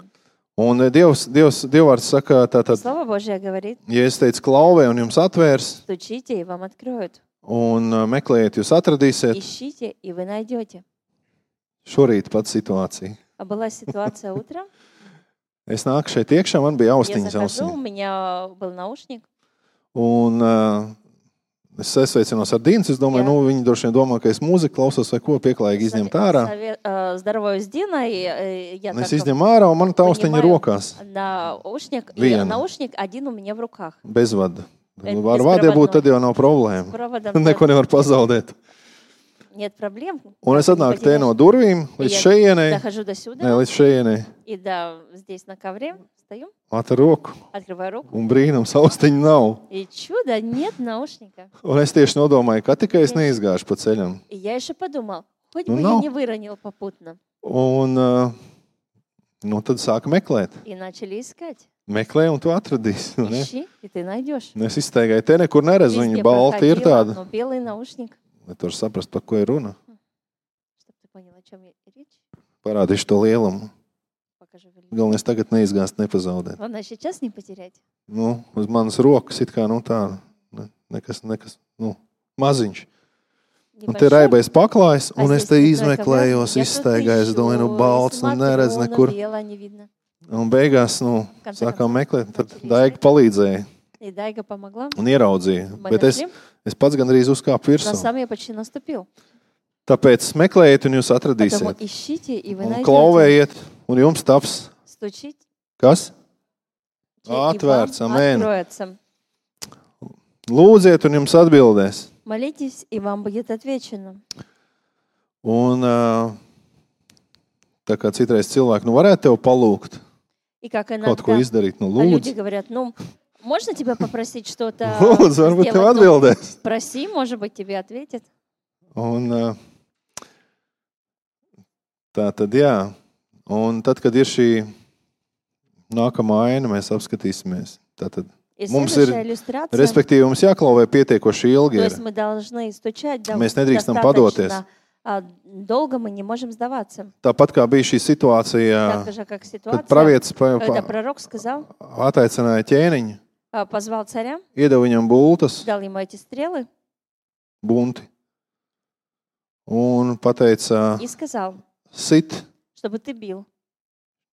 Un Dievvārds saka, tātad, Слово Божье говорит, ja es teicu klauvē un jums atvērs, стучите, и вам откроют. Un meklējiet, jūs atradīsiet. Ищите, и вы найдете. Šorīt pat situācija. А была ситуация утром. Es nāku šeit iekšā, man bija Я austiņas захожу, у ausiņā. меня был наушник. Un es sasveicinos ar Dīnu. Es domāju, viņi droši vien domā, ka es mūziku klausos vai ko pieklājīgi izņemt ārā. Здороваюсь с Диной. Я Es izņemu ārā, un man tā austiņa ir rokās. Наушник, и Viena. наушник один у меня в руках. Bez vada. Bez Ar vādiem būtu, tad jau nav С problēma. проводом Neko nevar pazaudēt. нет проблем. Un es Как не atnāku te no потеряешь. durvīm līdz Я šejienei. дохожу до сюда, Nē, līdz šejienei. и да, здесь на ковре стою, Atver roku. открываю руку, Un brīnums, austiņa nav. и чудо, нет наушника. Un es tieši nodomāju, ka tikai es neizgāšu pa ceļam. И я еще подумал, хоть Ну, бы nav. я не выронил попутно. Un tad sāku meklēt. И начали искать. Meklē, un tu atradīsi. Nu, ne? Ищи, и ты найдешь. Un es izteigāju, te nekur neredzu. Везде Viņa balta ir проходила, tāda. но белый наушник. Lai tur saprast, par ko ir runa. Чтобы ты понял, о чем речь, Parādīšu to lielumu. покажу. Galvenais tagad neizgāzt, nepazaudēt. Главное сейчас не потерять. Nu, uz manas rokas it kā tā, nekas, maziņš. Un te Небольшой. raibais paklājs, А un es здесь te крутая izmeklējos, ковра. Я izstaigāju, es просто domāju, ищу, balts, смотрю, neredz но nekur. белое не видно. Un beigās, конце sākām концов, meklēt, tad начали Daiga искать. palīdzēja И Дайга помогла. un ieraudzīja. Мы Bet нашли. es pats gandrīz uzkāpu Но virsū. сам я почти наступил. Tāpēc meklējiet, un jūs Поэтому atradīsiet. ищите, и вы Un найдете. klauvējiet, un jums taps Стучите, kas? и вам Atvērts, amen. откроется. Lūdziet, un jums atbildēs. Молитесь, и вам будет отвечено. Un tā kā citreiz cilvēki, varētu tev palūgt, И как kaut ko иногда izdarīt, люди lūdzu. говорят, можно тебя попросить что-то Lūdzu, varbūt tev сделать? atbildēs. Проси, может быть, тебе ответят. Un tā tad, jā. Un tad, kad ir šī nākamā aina, mēs apskatīsimies. Tātad, И Mums следующая ir, иллюстрация. respektīvi, mums jāklauvē pietiekoši ilgi. То Ir. есть мы должны стучать Mēs nedrīkstam padoties. достаточно долго, мы не можем сдаваться. Tāpat kā bija šī situācija, Так же, как kad ситуация, pravietis когда пророк сказал, attaicināja ķēniņu, позвал царя, iedeva viņam bultas, дал ему эти стрелы bunti, un pateica, и сказал, sit, чтобы ты бил.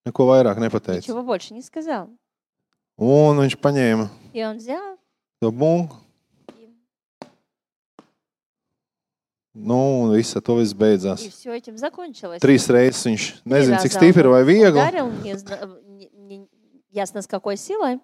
neko vairāk nepateica. Ничего больше не сказал. Un viņš paņēma И он взял, to bunku, un viss ar to viss и beidzās. все этим закончилось. 3 reizes viņš nezina, раза cik stipri vai viegli. Ударил, не ясно с какой силой.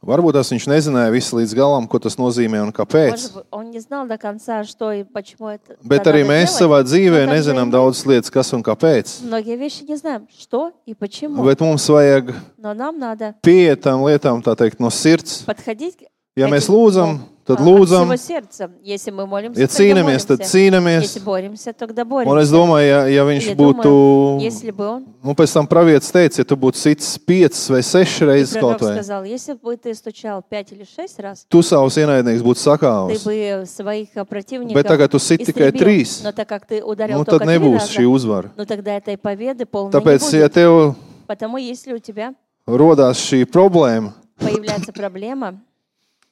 Varbūt tas viņš nezināja visu līdz galam, ko tas nozīmē un kāpēc. Может быть, он не знал до конца, что и почему это Bet надо arī mēs делать. savā dzīvē Но также nezinām и мы daudzas lietas, kas un kāpēc. Многие вещи не знаем, что и почему. Bet mums vajag Но нам надо pieiet tām lietām, tā teikt, no sirds. подходить Ja к mēs этим, lūdzam, tad от lūdzam. всего сердца. Если мы молимся, Ja тогда cīnāmies, tad молимся. cīnāmies. Если боремся, тогда Un es боремся. domāju, ja viņš Я būtu, думаю, если бы он, pēc tam pravietis teica, ja tu būtu sits 5 vai 6 reizes пророк kaut vai, сказал, если бы ты стучал 5 или 6 раз, tu savus ienaidniekus būtu ты sakāvis. бы своих противников Bet tagad tu sit tikai истребил. 3. Но так как ты ударил Nu, только tad 3 nebūs раза, šī uzvara. ну тогда этой победы полной Tāpēc, не ja будет. tev Потому если у тебя rodās šī problēma, появляется проблема,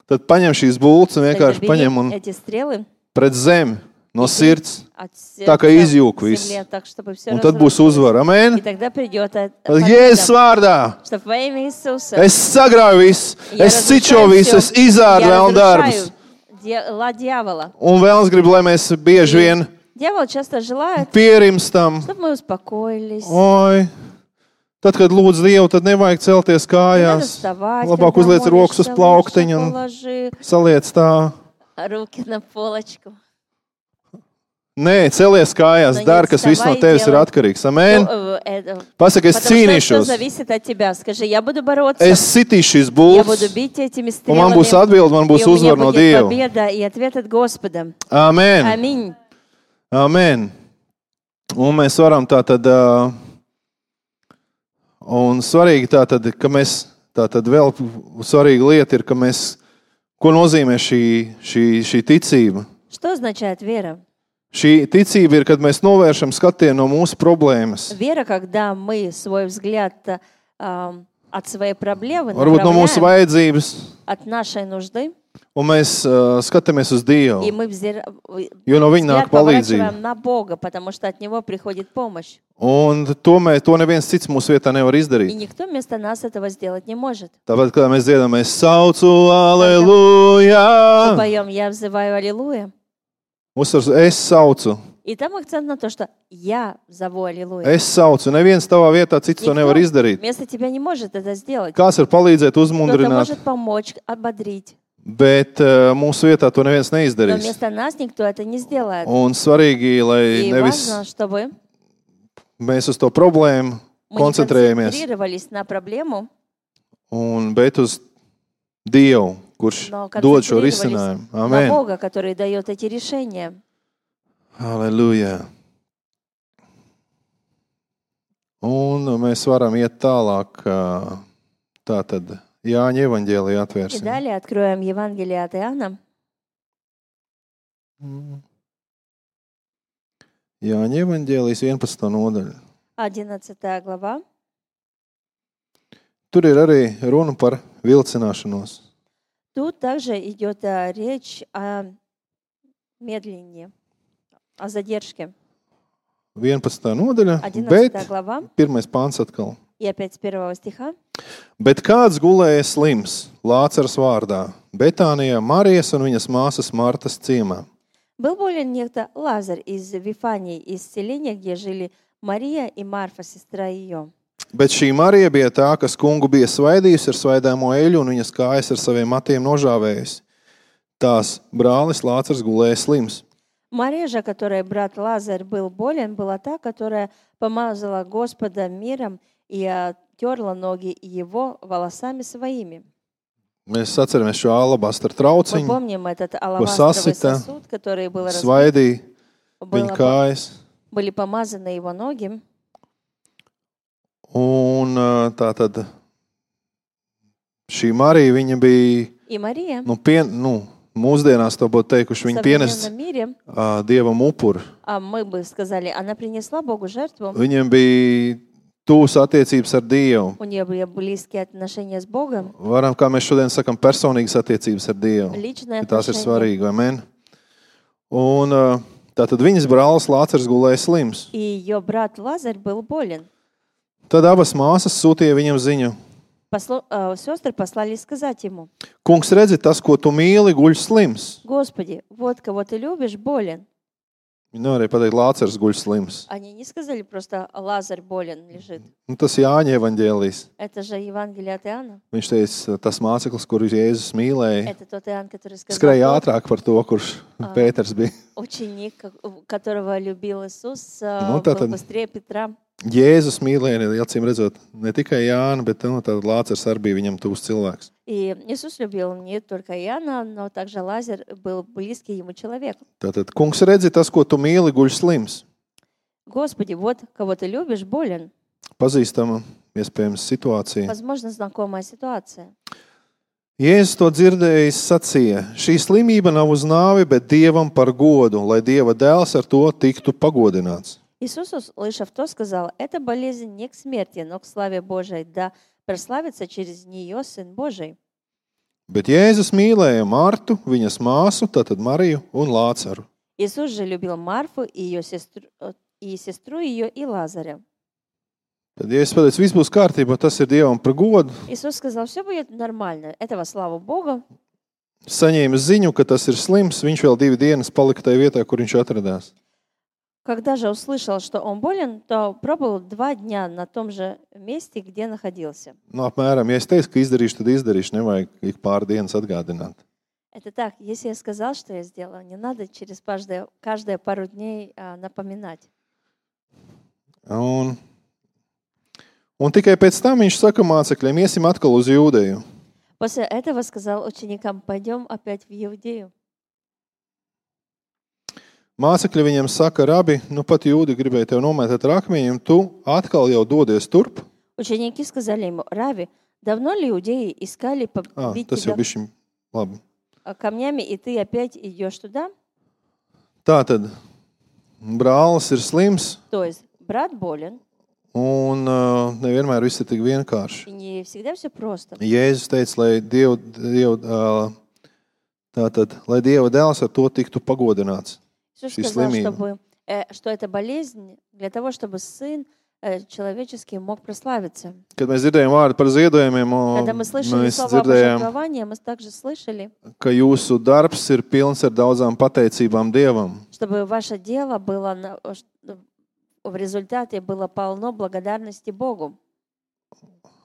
tad paņem šīs bultas un тогда vienkārši бери paņem un эти стрелы pret zemi no sirds. от Tā kā izjūg viss. земле, так, чтобы все Un tad būs uzvara. И Amen. тогда придет Jēzus vārdā. что во имя Иисуса Es sagrauju visu, я es cičo разрушаю visu, всё, es izārdu я vēl darbus. разрушаю дела дьявола. Un vēlams grib, lai mēs bieži vien Дьявол часто желает, pierimstam. чтобы мы успокоились. Oi, tad, kad lūdz Dievu, tad nevajag celties Не надо kājās. вставать, Labāk когда uzliec rokas uz молишься, plauktiņu лучше un положи saliec tā. руки на полочку. Nē, celies kājās, Nu, dari, kas viss no вставай, tevis ir делай. atkarīgs. Amen. Pasaka, es Потому что все cīnīšos. зависит от тебя. Скажи, я буду бороться, Es sitīšu šīs я bultas, буду бить этими un man būs стрелами, atbilde, man būs и у меня uzvara no будет Dieva. победа и ответ от Господа. Amen. Аминь. Amen. Un mēs varam tā tad, un svarīgi tā tad, ka mēs, tā tad vēl svarīga lieta ir, ka mēs, ko nozīmē šī ticība? Что означает вера? Šī ticība ir, kad mēs novēršam skatienu no mūsu problēmas. Вера, когда мы свой взгляд от своей проблемы Varbūt no mūsu направляем vajadzības, от нашей нужды, Un mēs skatāmies uz И Dievu, мы jo no viņa взгляд nāk palīdzība. поворачиваем на Бога, потому что от Него приходит помощь. Un to neviens cits mūsu vietā nevar И izdarīt. никто вместо нас этого сделать не может. Tāpēc, kad mēs dziedam, mēs saucu, Мы aleluja! поем «Я взываю Аллилуйя». Uzsvars, es saucu. И там акцент на то, что «Я зову Аллилуйя». Es saucu. Neviens tavā vietā cits to nevar izdarīt. Вместо тебя не может это сделать. Kāds var palīdzēt, Кто-то uzmundrināt, может помочь, ободрить. bet mūsu vietā to neviens Но neizdarīs. вместо нас никто это не сделает. Un svarīgi, lai И nevis важно, чтобы mēs uz to problēmu мы не koncentrējamies, концентрировались на проблему, bet uz Dievu, kurš но dod šo концентрировались risinājumu. на Amen. Бога, который дает эти решения. Aleluja. Un mēs varam iet tālāk. Tātad Jāņa evaņģēliju И atvērsim. далее откроем Евангелие от Иоанна, Jāņa evaņģēlijas 11. nodaļa. 11 глава. Tur ir arī runa par vilcināšanos. Тут также идет речь о медлении, о задержке. 11. nodaļa, 11 bet глава, pirmais pāns atkal. и опять с 1 стиха. Bet kāds gulēja slims, Lācars vārdā, Betānijā Marijas un viņas māsas Martas ciemā. Был болен некто Лазарь из Вифании, из селения, где жили Мария и Марфа, сестра ее. Bet šī Marija bija tā, kas kungu bija svaidījusi ar svaidāmo eļu un viņas kājas ar saviem matiem nožāvējusi. Tās brālis Lācars gulēja slims. Мария же, которой брат Лазарь был болен, была та, которая помазала Господа миром и терла ноги его волосами своими. Mēs atceramies šo alabastra Мы trauciņu, помним этот алавастровый сасыта, сосуд, который был разбит, svaidīja viņa kājas. были помазаны его ноги. Un tā tad šī Marija, viņa bija, И Мария mūsdienās to būtu teikuši, в viņa pienes современном мире, Dievam upuru. а мы бы сказали, она принесла Богу жертву, Viņam bija tūs attiecības ar Dievu. у нее были близкие отношения с Богом, Varam, kā mēs šodien sakam, personīgas attiecības ar Dievu. личные Tās ir отношения. svarīgi, vai men? Un tātad viņas brālis Lācars gulēja slims. И ее брат Лазарь был болен. Tad abas māsas sūtīja viņam ziņu. Сестры послали сказать ему: Kungs, redzi, tas, ko tu mīli, guļ slims. Господи, вот кого ты любишь, болен. Viņi nevarēja pateikt, Lācars guļ slims. Они не сказали просто Лазарь болен лежит. Tas Jāņa evaņģēlijs. Это же Евангелие от Иоанна. Viņš teica, tas māceklis, kuru Jēzus mīlēja, Это тот Иоанн, который сказал, skrēja тот ātrāk par to, kurš Pēters bija. ученик, которого любил Иисус, Ну, был tātad- быстрее Петра. Jēzus mīlēja, acīm redzot, ne tikai Jānu, bet tad Lācars arī bija viņam tuvs cilvēks. И Иисус любил не только Иоанна, но также Лазарь был близкий ему человек. Tātad, kungs, redzi, tas, ko tu mīli, guļ slims. Господи, вот кого ты любишь, болен. Pazīstama, iespējams, situācija. Возможно, знакомая ситуация. Jēzus to dzirdējis, sacīja, šī slimība nav uz nāvi, bet Dievam par godu, lai Dieva dēls ar to tiktu pagodināts. Иисус, услышав то, сказал: «Эта болезнь не к смерти, но к славе Божией, да прославится через нее Сын Божий». Bet Jēzus mīlēja Martu, viņas māsu, tātad Mariju un Lācaru. Иисус же любил Марфу и сестру ее, и Лазаря. Tad Jēzus pateica, viss būs kārtībā, tas ir Dievam par godu. Иисус сказал: все будет нормально. Это во славу Бога. Saņēma ziņu, ka tas ir slims, viņš vēl 2 dienas palika tajā vietā, kur viņš atradās. Когда же услышал, что он болен, то пробыл 2 дня на том же месте, где находился. Apmēram, ja es teicu, ka izdarīšu, tad izdarīšu, nevajag ik pāris dienas atgādināt. Это так, если я сказал, что я сделаю, не надо через каждые пару дней напоминать. Un tikai pēc tam viņš saka mācekļiem, iesim atkal uz Jūdeju. После этого сказал ученикам: пойдем опять в Иудею. Mācekļi viņam saka, rabi, pat Jūdi gribēja tev nomētāt ar akmeņiem, tu atkal jau dodies turp. Ученики сказали ему: Рави, давно ли иудеи искали побить Tas jau тебя bišķiņ labi. камнями, и ты опять идешь туда? Tātad, brālis ir slims, То есть брат болен, un nevienmēr viss ir tik vienkārši. и не всегда все просто. Jēzus teica, lai Tātad, lai Dieva dēls ar to tiktu pagodināts. Иисус Šī сказал, slimība. что эта болезнь для того, чтобы Сын человеческий мог прославиться. Kad mēs dzirdējām vārdu par ziedojumiem, Когда мы слышали mēs слово о dzirdējām, пожертвовании, мы также слышали, ka jūsu darbs ir pilns ar daudzām pateicībām Dievam. чтобы ваше дело было в результате было полно благодарности Богу.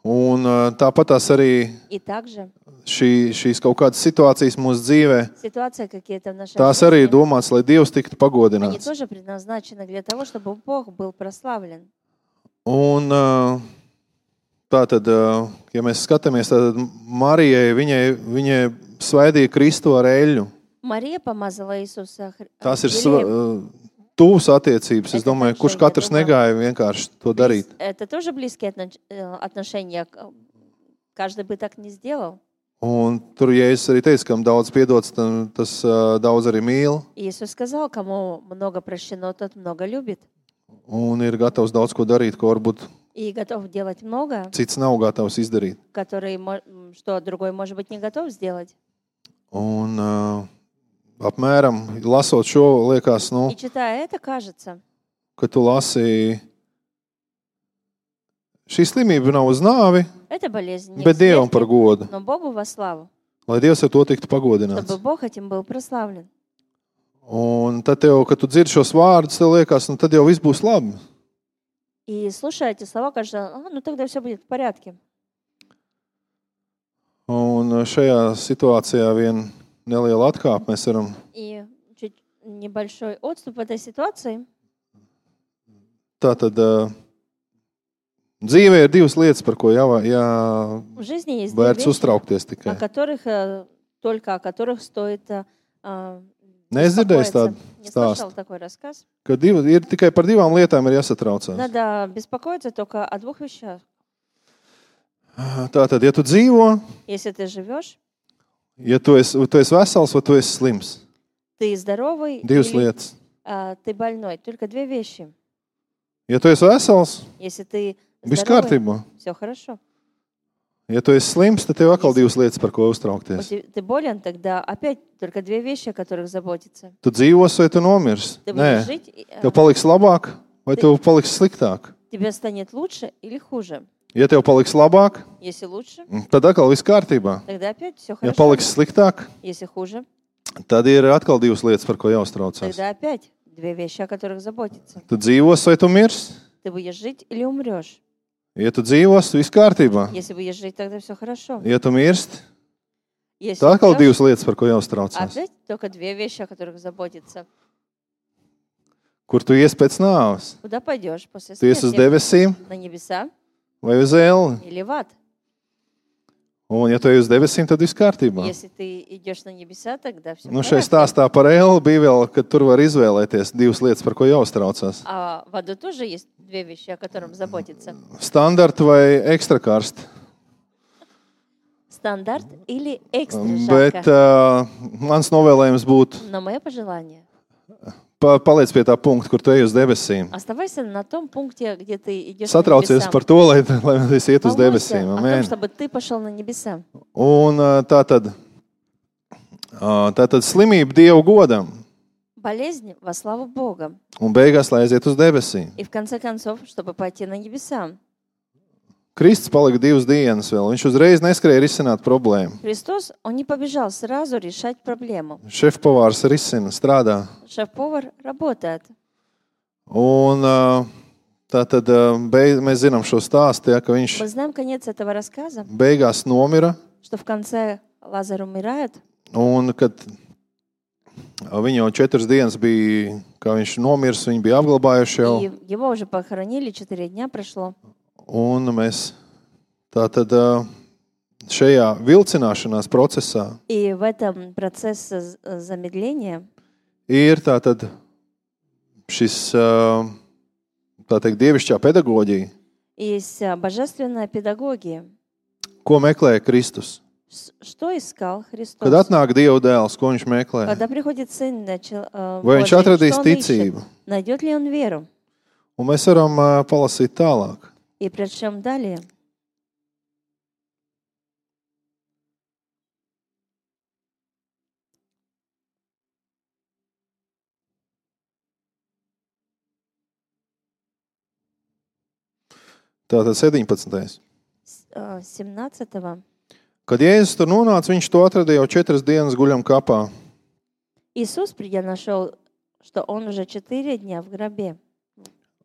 Un tāpat tās arī И также šīs kaut kādas situācijas mūsu dzīvē, ситуации какие-то в нашей tās arī ir жизни, domāts, lai Dievs tiktu они pagodināts. тоже предназначены для того, чтобы Бог был прославлен. Un tātad, ja mēs skatāmies, tad Marijai, viņai svaidīja Kristu ar eļļu. Мария помазала Иисуса Tās ir елеем. tuvas attiecības. Es Это domāju, также, kurš я katrs думаю, negāja vienkārši to darīt. Это тоже близкие отношения. Каждый бы так не сделал. Un tur Jēzus arī teica, kam daudz piedots, tas daudz arī mīl. Иисус сказал, кому много прощено, тот много любит. Un ir gatavs daudz ko darīt, ko varbūt И готов делать много, cits nav gatavs izdarīt. что другой, может быть, не готов сделать. Un apmēram, lasot šo, liekas, И читая это, кажется, ka tu lasi, šī slimība nav uz nāvi, это болезнь не bet к Dievam par смерти, godu, но Богу во славу, lai Dievs ar to tiktu pagodināts. чтобы Бог этим был прославлен. Un tad tev, kad tu dzirdi šos vārdus, tev liekas, tad jau viss būs labi. И слушая эти слова, кажется, ну тогда все будет в порядке. Un šajā situācijā vien neliela atkāpe mēs varam. И чуть небольшой отступ в этой ситуации. Tātad dzīvē ir divas lietas, par ko В жизни есть две vērts вещи, uztraukties о tikai. которых стоит Nedzirdējis tādu Не слышал stāstu, такой рассказ. ka ir tikai par divām lietām ir jāsatraucās. Надо беспокоиться только о двух вещах. Tātad, ja tu dzīvo, Если ты живешь, ja tu esi vesels vai tu esi slims, ты здоровый divas или lietas. ты больной. Только две вещи. Ja tu esi vesels, Если ты viss здоровый, kārtībā. все хорошо. Ja tu esi slims, tad tev atkal divas lietas, par ko uztraukties. Ты болен, тогда опять только две вещи, о которых заботиться. Tu dzīvos vai tu nomirs? Ты будешь Nē, жить, tev paliks labāk vai tev paliks sliktāk. тебе станет лучше или хуже. Ja tev paliks labāk, Если лучше, tad atkal viss kārtībā. тогда опять все Ja хорошо. paliks sliktāk, Если хуже, tad ir atkal divas lietas, par ko jāuztraucās. тогда опять две вещи, о которых заботиться. Tu dzīvos vai tu mirs? Ты будешь жить или умрешь. Ja tu dzīvos, viss kārtībā. Если будешь жить, тогда все хорошо. Ja tu mirst, Если tad atkal умрешь, divas lietas, par ko jāuztraucās. опять только две вещи, о которых заботиться. Kur tu ies pēc nāves? Куда пойдешь после Tu ies uz смерти? debesīm На небеса vai uz elli? или в ад? Un ja tu ej uz debesīm, tad viss kārtībā. Если ты идешь на небеса, тогда все Nu, šai stāstā par elli bija vēl, ka tur var izvēlēties divas lietas, par ko jāuztraucās. А в аду тоже есть две вещи, о которых заботиться. Standarta vai ekstra karsta. Стандарт или экстра Bet жарко. mans novēlējums būtu Но мое пожелание paliec pie tā punkta, kur tu ej uz debesīm. оставайся на том пункте, где ты идешь на Satraucies небеса. par to, lai es iet uz Волнуйся debesīm. о том, Amen. чтобы ты пошел на небеса. Un tātad slimība Dievu godam. Болезнь во славу Бога. Un beigās, lai aiziet uz debesīm. И в конце концов, чтобы пойти на небеса. Kristus palika 2 dienas vēl. Viņš uzreiz neskrēja risināt problēmu. Христос, Он не побежал сразу решать проблему. Šefpavārs risina, strādā. Шеф-повар работает. Un tātad mēs zinām šo stāstu, ja, ka viņš Мы знаем конец этого рассказа, beigās nomira. что в конце Лазарь умирает, Un kad viņu jau 4 dienas bija, kā viņš nomirs, viņi bija apglabājuši jau. и его уже похоронили, 4 дня прошло. Un mēs tātad šajā vilcināšanās procesā И в этом процессе замедления ir tātad šis, tā teikt, dievišķā pedagoģija, есть божественная педагогия. ko meklē Kristus. Что искал Христос? Kad atnāk Dieva dēls, ko viņš meklē? Когда приходит Сын Vai viņš Божий, atradīs что он ищет? ticību? Найдет ли он веру? Un mēs varam palasīt tālāk. И причем далее. Tātad 17. 17. Kad Jēzus tur nonāca, viņš to atrada jau 4 dienas guļam kapā. Иисус, придя, нашел, что он уже 4 дня в гробе.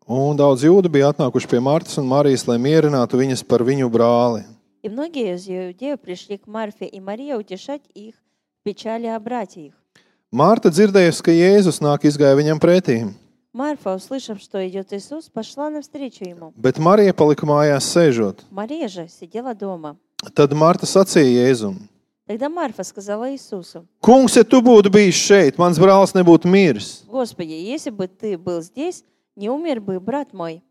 Un daudz jūdu bija atnākuši pie Martas un Marijas, lai mierinātu viņas par viņu brāli. И многие из иудеев пришли к Марфе и Марии утешать их в печали о брате их. Marta dzirdējusi, ka Jēzus nāk, izgāja viņam pretī, Марфа, услышав, что идет Иисус, пошла навстречу ему. bet Marija palika mājās sēžot. Мария же сидела дома. Tad Marta sacīja Jēzum: Тогда Марфа сказала Иисусу: Kungs, ja tu būtu bijis šeit, mans brālis nebūtu miris. Господи, если бы ты был здесь, не умер бы брат мой.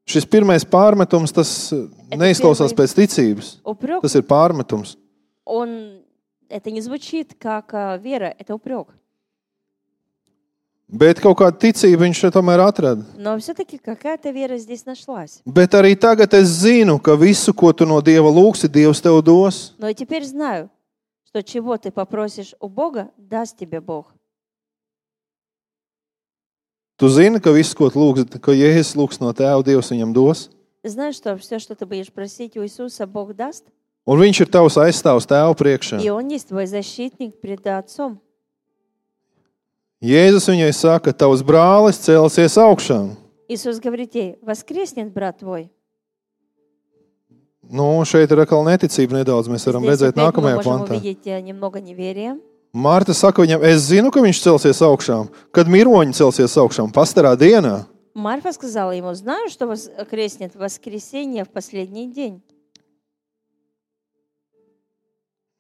Šis pirmais pārmetums, tas neizklausās pēc ticības. Упрек, Tas ir pārmetums. это не звучит как вера, это упрек. Bet kaut kāda ticība viņš tomēr atrada. Но все-таки какая-то вера здесь нашлась. Bet arī tagad es zinu, ka visu, ko tu no Dieva lūgsi, Dievs tev dos. Но и теперь знаю, что чего ты попросишь у Бога, даст тебе Бог. Tu zini, ka visu, ko tu lūgsi, ka Jēzus lūgs no Tēva, Dievs viņam dos. Ты знаешь, что все, что ты будешь просить у Иисуса, Бог даст? Un viņš ir tavs aizstāvs Tēva priekšā. И Он есть твой защитник пред Отцом. Jēzus viņai saka, tavs brālis celsies augšām. Иисус говорит ей: воскреснет брат твой. Nu, šeit ir atkal neticība nedaudz. Mēs varam Здесь redzēt опять мы nākamajā можем pantā. увидеть немного неверия. Marta saka viņam, es zinu, ka viņš celsies augšām. Kad miroņi celsies augšām? Pastarā dienā. Марфа сказала ему: знаю, что воскреснет в воскресенье в последний день.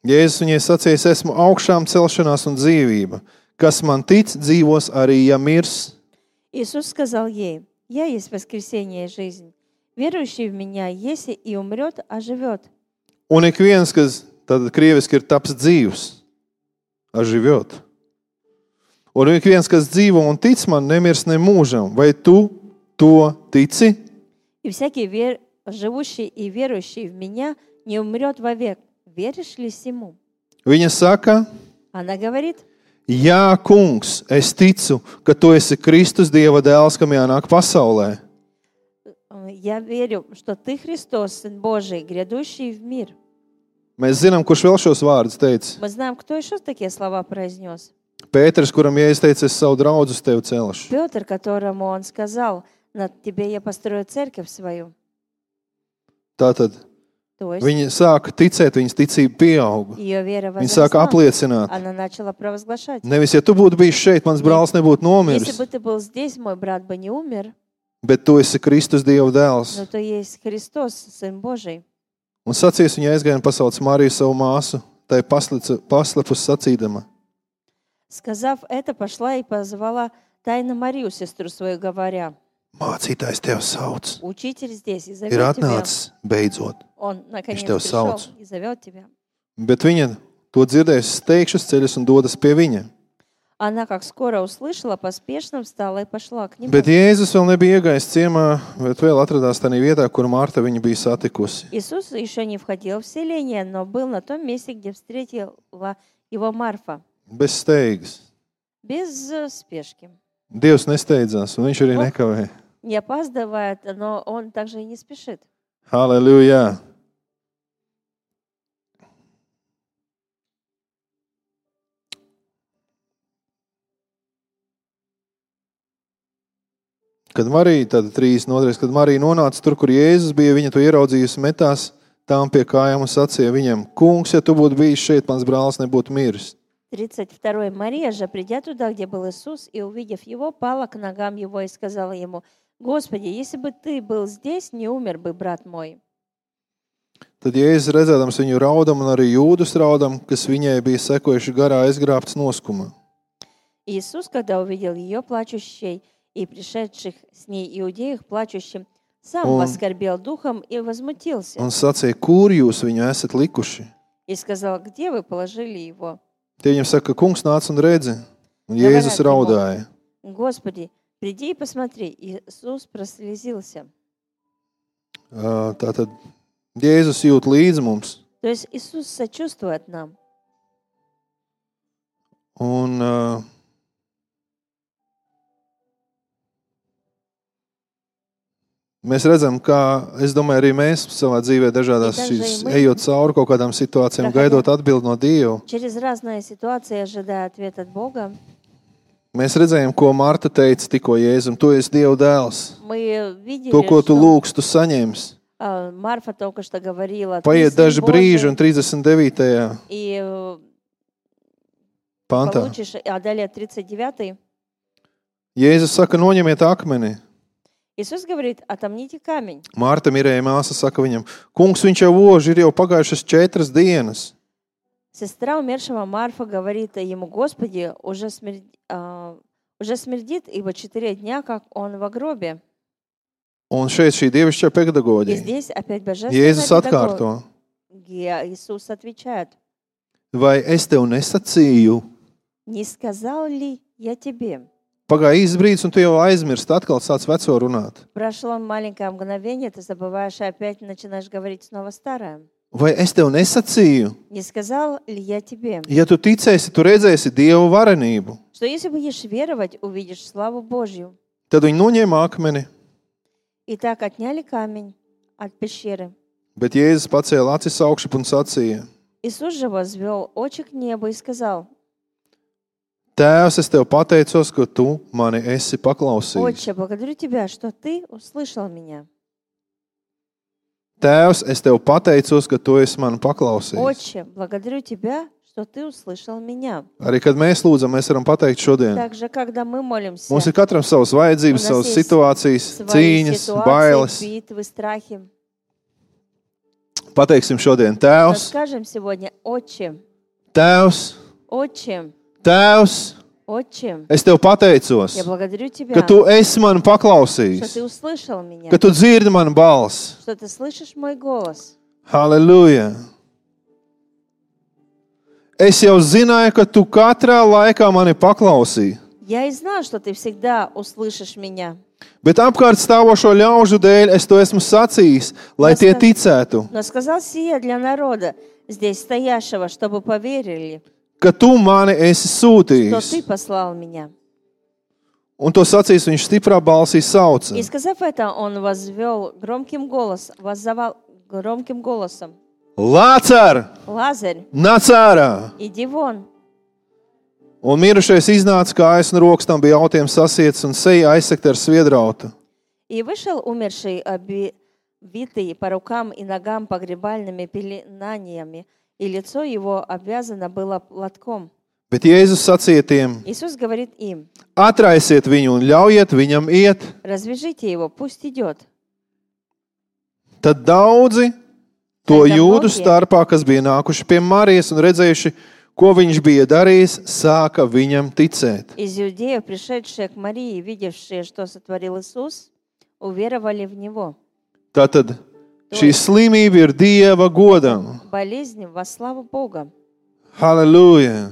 Jēzus viņai sacīja, es esmu augšām celšanās un dzīvība. Kas man tic, dzīvos arī, ja mirs. Иисус сказал ей: я есть воскресение и жизнь. Верующий в меня, если и умрет, оживет. Un ik viens, kas tad krieviski ir taps dzīvs, aživjot. Un ik viens, kas dzīvo un tic man, nemirs ne mūžam. Vai tu to tici? И всякий живущий и верующий в меня не умрет вовек. Веришь ли сему? Viņa saka, Она говорит: jā, kungs, es ticu, ka tu esi Kristus Dieva dēls, kam jānāk pasaulē. я верю, что ты Христос, Сын Божий, грядущий в мир. Mēs zinām, kurš vēl šos vārdus teica. Мы знаем, кто еще такие слова произнес. Pēters, kuram Jēzus teica, es savu draudzu uz tevi celšu. Петр, которому он сказал: над тебе я построю церковь свою. Tātad То есть viņi sāka ticēt, viņas ticība pieauga. ее вера Viņi sāka возросла. apliecināt. Она начала провозглашать: Nevis, ja tu būtu bijis šeit, mans brālis nebūtu если nomiris, бы ты был здесь, мой брат бы не умер, bet tu esi Kristus Dieva dēls. но то есть Христос, Сын Божий. Un sacīs viņa aizgāja un pasauc Mariju savu māsu, tai paslepus sacīdama. Сказав это, пошла и позвала тайно Марию, сестру свою, говоря: Mācītājs tev sauc. учитель здесь и Ir зовет тебя. atnācis beidzot. Он наконец tev пришел sauc. и зовет тебя. Bet viņa to dzirdējusi steigšas ceļus un dodas pie viņa. Она, как скоро услышала, поспешно встала и пошла к нему. Bet Jēzus vēl nebija iegājis ciemā, bet vēl atradās tādā vietā, kur Marta viņu bija satikusi. Иисус еще не входил в селение, но был на том месте, где встретила его Марфа, Bez steigas. без спешки. Dievs nesteidzās, un viņš arī nekavēja. Не опаздывает, но он также и не спешит. Halleluja! Kad Marija, tad 32. Kad Marija nonāca tur, kur Jēzus bija, viņa to ieraudzījusi, metās tām pie kājām un sacīja viņam: Kungs, ja tu būtu bijis šeit, mans brālis nebūtu miris. 32. Мария же, придя туда, где был Иисус, и увидев его, пала к ногам его и сказала ему: Господи, если бы ты был здесь, не умер бы брат мой. Tad Jēzus redzēdams viņu raudam un arī jūdus raudam, kas viņai bija sekojuši garā, aizgrābts noskuma. Иисус, когда увидел ее плачущей и пришедших с ней иудеев плачущим, сам воскорбел духом и возмутился. Un sacīja, kur jūs viņu esat likuši? И сказал: где вы положили его? Tie viņam saka, kungs nāc un redzi. Un Jēzus raudāja. Господи, приди и посмотри. Иисус прослезился. Tātad Jēzus jūt līdzi mums. То есть Иисус сочувствует нам. Un Mēs redzam, kā, es domāju, arī mēs savā dzīvē dažādās И šīs, также и мы, ejot cauri kaut kādām situācijām, проходя gaidot atbildi no Dieva. через разные ситуации, ожидая ответ от Бога, Mēs redzējām, ko Marta teica tikko Jēzum. Tu esi Dieva dēls. мы To, видели, ko tu что lūgsi, tu saņemsi. Марфа только что говорила, ты Paiet Сын daži brīži, Божий, un 39. и pantā. получишь, а далее 39. Jēzus saka, noņemiet akmeni. Иисус говорит, отомните камень. Marta Mirēja māsa saka viņam, kungs, viņš jau ož, ir jau pagājušas 4 dienas. Сестра умершего Марфа говорит ему, Господи, уже смердит, ибо 4 дня, как он в гробе. Un šeit šī dievišķā И pedagoģija. здесь опять Jēzus божественная atkārto, педагогия. Иисус отвечает, vai es tev nesacīju? не сказал ли я тебе? Pagāja īsts brīdis, un tu jau aizmirsti, atkal sāc veco runāt. Прошло маленькое мгновение, ты забываешь и опять начинаешь говорить снова старое. Vai es tev nesacīju? Не сказал ли я тебе, Ja tu ticēsi, tu redzēsi Dievu varenību. что если будешь веровать, увидишь славу Божью? Tad viņi noņēma akmeni, И так отняли камень от пещеры. bet Jēzus pacēla acis augšup un sacīja, Иисус же возвел очи к небу и сказал, Tēvs, es tev pateicos, ka tu mani esi paklausījis. Отче, благодарю Тебя, что Ты услышал меня. Tēvs, es tev pateicos, ka tu esi mani paklausījis. Отче, благодарю Тебя, что Ты услышал меня. Arī, kad mēs lūdzam, mēs varam pateikt šodien. Также, когда мы молимся, Mums ir katram savas vajadzības, У нас savas есть situācijas, свои cīņas, ситуации, bailes. битвы, страхи. Pateiksim šodien, Tēvs, Расскажем сегодня, Отче, Tēvs, Отче, Tēvs, Отче, es tev pateicos, я благодарю Тебя, ka tu esi mani что paklausījis, Ты услышал меня, ka tu dzirdi manu balsi. что Ты слышишь мой голос. Halleluja! Es jau zināju, ka tu katrā laikā mani paklausīji, Я и знал, что Ты всегда услышишь меня. bet apkārt stāvošo ļaužu dēļ es to esmu sacījis, lai tie ticētu, Но сказал сие для народа, здесь стоящего, чтобы поверили, ka tu mani esi что sūtījis. Ты послал меня. Un to sacījis viņš stiprā balsī sauca. И сказав это, он воззвал громким голосом, Lācar, Лазарь, nāc ārā! иди вон. Un mirušais iznāca, kājas un rokas tam bija autiem sasiets un seja aizsegta ar sviedrautu. И вышел умерший, обвитый по рукам и ногам погребальными пеленаниями, и лицо его обвязано было платком. Bet Jēzus sacīja tiem, Иисус говорит им, atraisiet viņu un ļaujiet viņam iet. развяжите его, пусть идет. Tad daudzi to jūdu starpā, kas bija nākuši pie Marijas un redzējuši, ko viņš bija darījis, sāka viņam ticēt. Из иудеев, пришедшие к Марии, видевшие, что сотворил Иисус, уверовали в Него. Tātad šī slimība ir Dieva godam. Болезнь во славу Бога. Halleluja!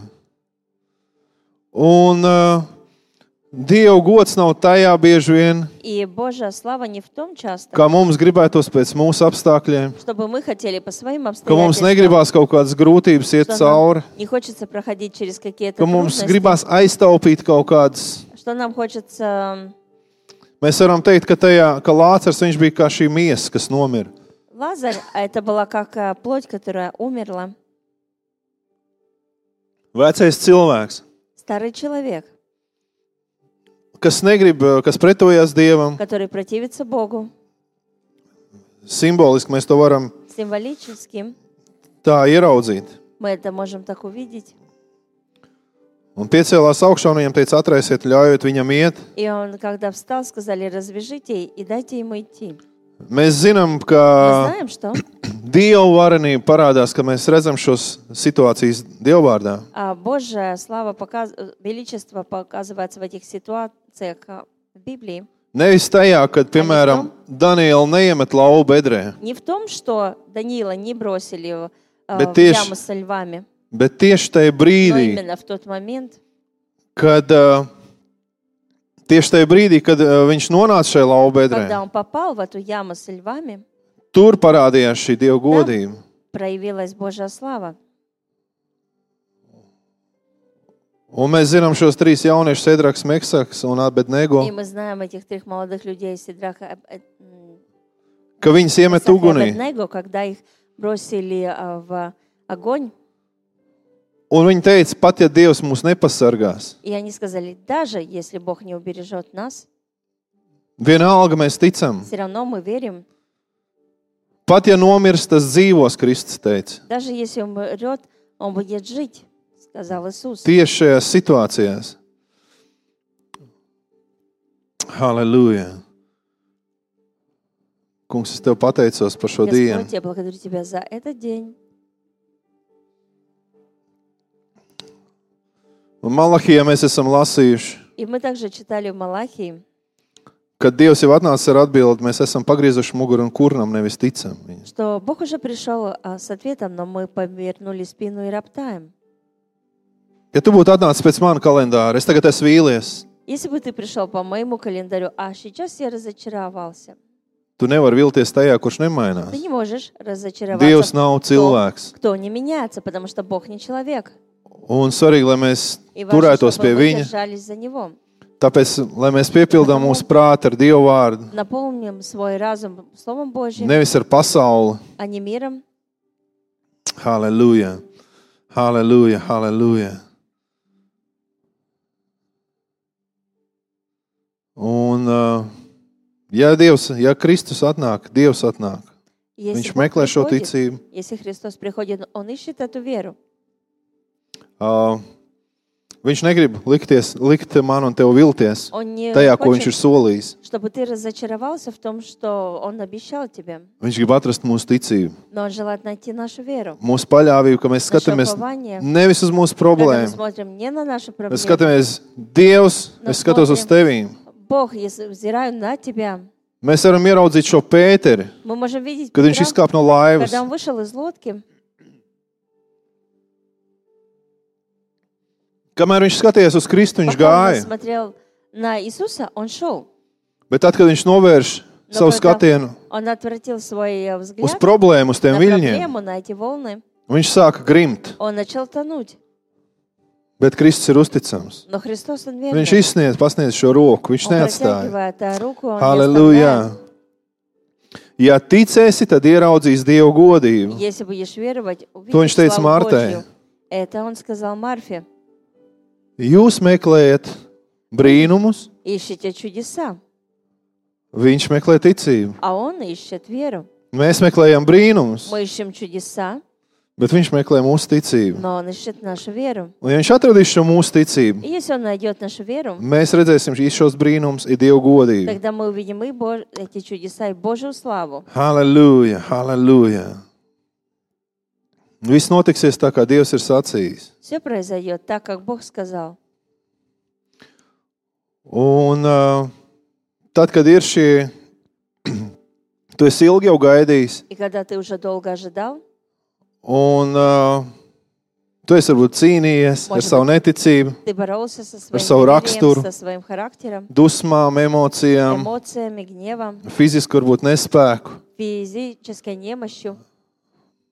Un Dieva gods nav tajā bieži vien, И Божья слава не в том часто, kā mums gribētos pēc mūsu apstākļiem, чтобы мы хотели по своим ka mums обстоятельствам, negribās kaut kādas grūtības iet что cauri, нам не хочется проходить через какие-то ka mums трудности, gribās aiztaupīt kaut kādas. что нам хочется... Mēs varam teikt, ka Lācars viņš bija kā šī miesa, kas nomira. Лазарь, а это была как плоть, которая умерла. Vecais cilvēks, Старый человек, kas negrib, kas pretojās Dievam, который противится Богу. simboliski mēs to varam Символически tā ieraudzīt. мы это можем так увидеть. Un piecēlās augšā un viņam teica, atraisiet, ļaujiet viņam iet. И он, когда встал, сказали, развяжите и дайте ему идти. Mēs zinām, Мы ka знаем, что Dieva varenība parādās, ka mēs redzam šos situācijas Dievvārdā. Божья слава, величество показывается в этих ситуациях в Библии. Nevis tajā, kad, piemēram, Daniela neiemet lauvu bedrē, Не в том, что Даниила не бросили в Bet яму со львами, bet tieši tajā но brīdī, именно в тот момент, kad viņš nonāca šajā lauvu bedrē, когда он попал в эту яму со львами, tur parādījās šī Dieva godība. проявилась Божья слава. Un mēs zinām šos 3 jauniešus, Sedraks, Meksaks un Abednego. И мы знаем этих 3 молодых людей, Сидраха, ka viņas iemet Исаака и ugunī. Абедnego, когда их бросили в огонь, Un viņi teica, pat ja Dievs mūs nepasargās, и они сказали, даже если Бог не убережет нас, vienalga mēs ticam. все равно мы верим. Pat ja nomirst, tas dzīvos, Kristus teica. Даже если он умрет, он будет жить, сказал Иисус. Tieši šajās situācijās. Halleluja. Kungs, es Tev pateicos par šo dienu. Господь, я благодарю Тебя за этот день. Un Malahijā mēs esam lasījuši, И мы также читали в Малахии, kad Dievs jau atnāca ar atbildi, mēs esam pagriezuši muguru un kurnam, nevis ticam. что Бог уже пришел с ответом, но мы повернули спину и роптаем. Ja tu būtu atnācis pēc mana kalendāra, es tagad esmu vīlies. Если бы ты пришел по моему календарю, а сейчас я разочаровался, Tu nevari vilties tajā, kurš ты nemainās. не можешь разочароваться Dievs в nav том, cilvēks. кто не меняется, потому что Бог не человек. Un svarīgi, lai mēs И важно, turētos pie чтобы мы viņa. держались за Него. Tāpēc, lai mēs piepildām mūsu prātu ar Dievu vārdu, Наполним свой разум Словом Божьим, nevis ar pasauli. а не миром. Halleluja! Halleluja! Halleluja! Un, ja Kristus atnāk, Dievs atnāk. Если Viņš Бог meklē šo приходит, ticību. если Христос приходит, Он ищет эту веру. Viņš negrib likt man un tev vilties Он не tajā, ko viņš ir хочет, solījis. чтобы ты разочаровался в том, что Он обещал тебе. Viņš grib atrast mūsu ticību, Но Он желает найти нашу веру. mūsu paļāvību, ka mēs skatāmies упование. nevis uz mūsu Когда мы problēmu. смотрим не на наши Mēs проблемы, skatāmies, Dievs, Но es skatos uz смотрим. tevīm. Бог, если взираю на тебя, Mēs varam ieraudzīt šo Pēteri, мы можем видеть kad viņš Петра, izkāpa no laivas. когда он вышел из лодки. Kamēr viņš skatījās uz Kristu, viņš Пока он gāja. смотрел на Иисуса, он шел. Bet tad, kad viņš novērš Но savu когда skatienu он отвратил свой uz взгляд problēmu, uz tiem на viļņiem, проблему, на эти волны, viņš sāka grimt. он начал тонуть. Bet Kristus ir uzticams. Но Христос, Он верный. Viņš pasniedz šo roku, viņš Он neatstāja. протягивает руку, Он не Halleluja! оставляет. Ja ticēsi, tad ieraudzīs Dievu godību. Если будешь веровать, To увидишь viņš teica славу Martai. Божью. Это Он сказал Марфе. Jūs meklējat brīnumus, Ищите чудеса, viņš meklē ticību. а Он ищет веру. Mēs meklējam brīnumus, Мы ищем чудеса, bet viņš meklē mūsu ticību. но Он ищет нашу веру. Un ja viņš atradīs šo mūsu ticību, И если Он найдет нашу веру, mēs redzēsim šos brīnumus, ir Dieva godība. тогда мы увидим и эти чудеса, и Божью славу. Halleluja, halleluja. Viss notiksies tā, kā Dievs ir sacījis. Все произойдет так, как Бог сказал. Un tad, kad ir šie, tu esi ilgi jau gaidījis, И когда ты уже долго ожидал, un tu esi varbūt cīnījies ar savu neticību, ты боролся со своим savu raksturu. неверием, со своим характером, dusmām, emocijām, эмоциями, гневом, fizisku varbūt nespēku. физической немощью.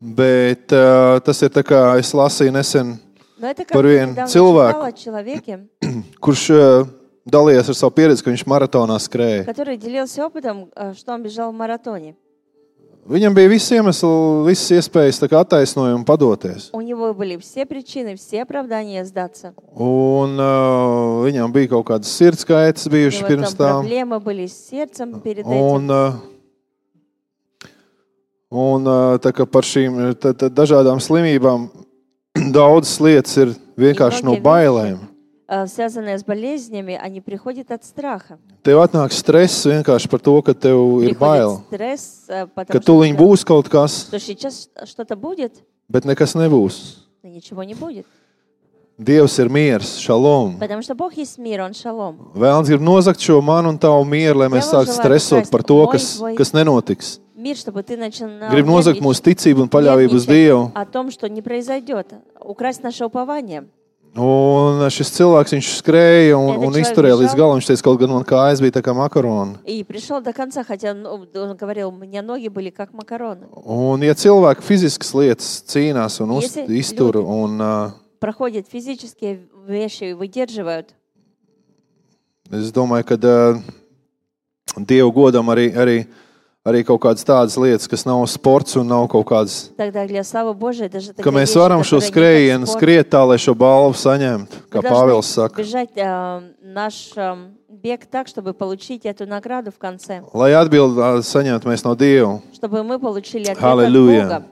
Bet tas ir tā kā es lasīju nesen, Но это как Par я vienu недавно cilvēku. читала о человеке, kurš dalījās ar savu pieredzi, ka viņš maratonā skrēja. который делился опытом, что он бежал в маратоне. Viņam bija visi iemesli, visas iespējas tā kā attaisnojumi padoties. У него были все причины, все оправдания сдаться. Un viņam bija kaut kādas sirds kaitas У bijušas него pirms там tam. проблемы были с сердцем перед Un, этим. un tā kā par šīm dažādām slimībām daudzas lietas ir vienkārši no многие bailēm. Связанные с болезнями, они приходят от страха. Tev atnāk stress vienkārši par to, ka tev ir Приходит bail. стресс, Ka потому tuliņ что būs kaut kas, что сейчас что-то будет, bet nekas nebūs. но ничего не будет. Dievs ir miers, šalom. Потому что Бог есть мир, Он šalom. Vēlns grib nozagt šo manu un tavu mieru, lai mēs Дьявол sāktu желает stresot украсть par to, мой, kas, твой kas nenotiks. Мир, чтобы ты начал Grib nozagt mūsu ticību un paļāvību uz Dievu. о том, что не произойдет, украсть наше упование. Un šis cilvēks, viņš skrēja un Этот izturēja человек līdz galam. Viņš teica, kaut gan man kājas bija tā kā makaroni. И пришел до конца, хотя он говорил, у меня ноги были как макароны. Un ja cilvēki fiziskas lietas cīnās un Если iztur, люди un проходят физические вещи и выдерживают, es domāju, ka Dievu godam arī arī kaut kādas tādas lietas, kas nav sports un nav kaut kādas, Тогда для славы Божией даже ka такие mēs вещи, varam šo которые не skrējienu как спорт, skriet tā, lai šo balvu saņemtu, kā мы Pāvils должны saka. бежать наш бег так, чтобы получить эту награду в конце, Lai atbildi saņemtu mēs no Dieva. чтобы мы получили ответ Halleluja. от Бога.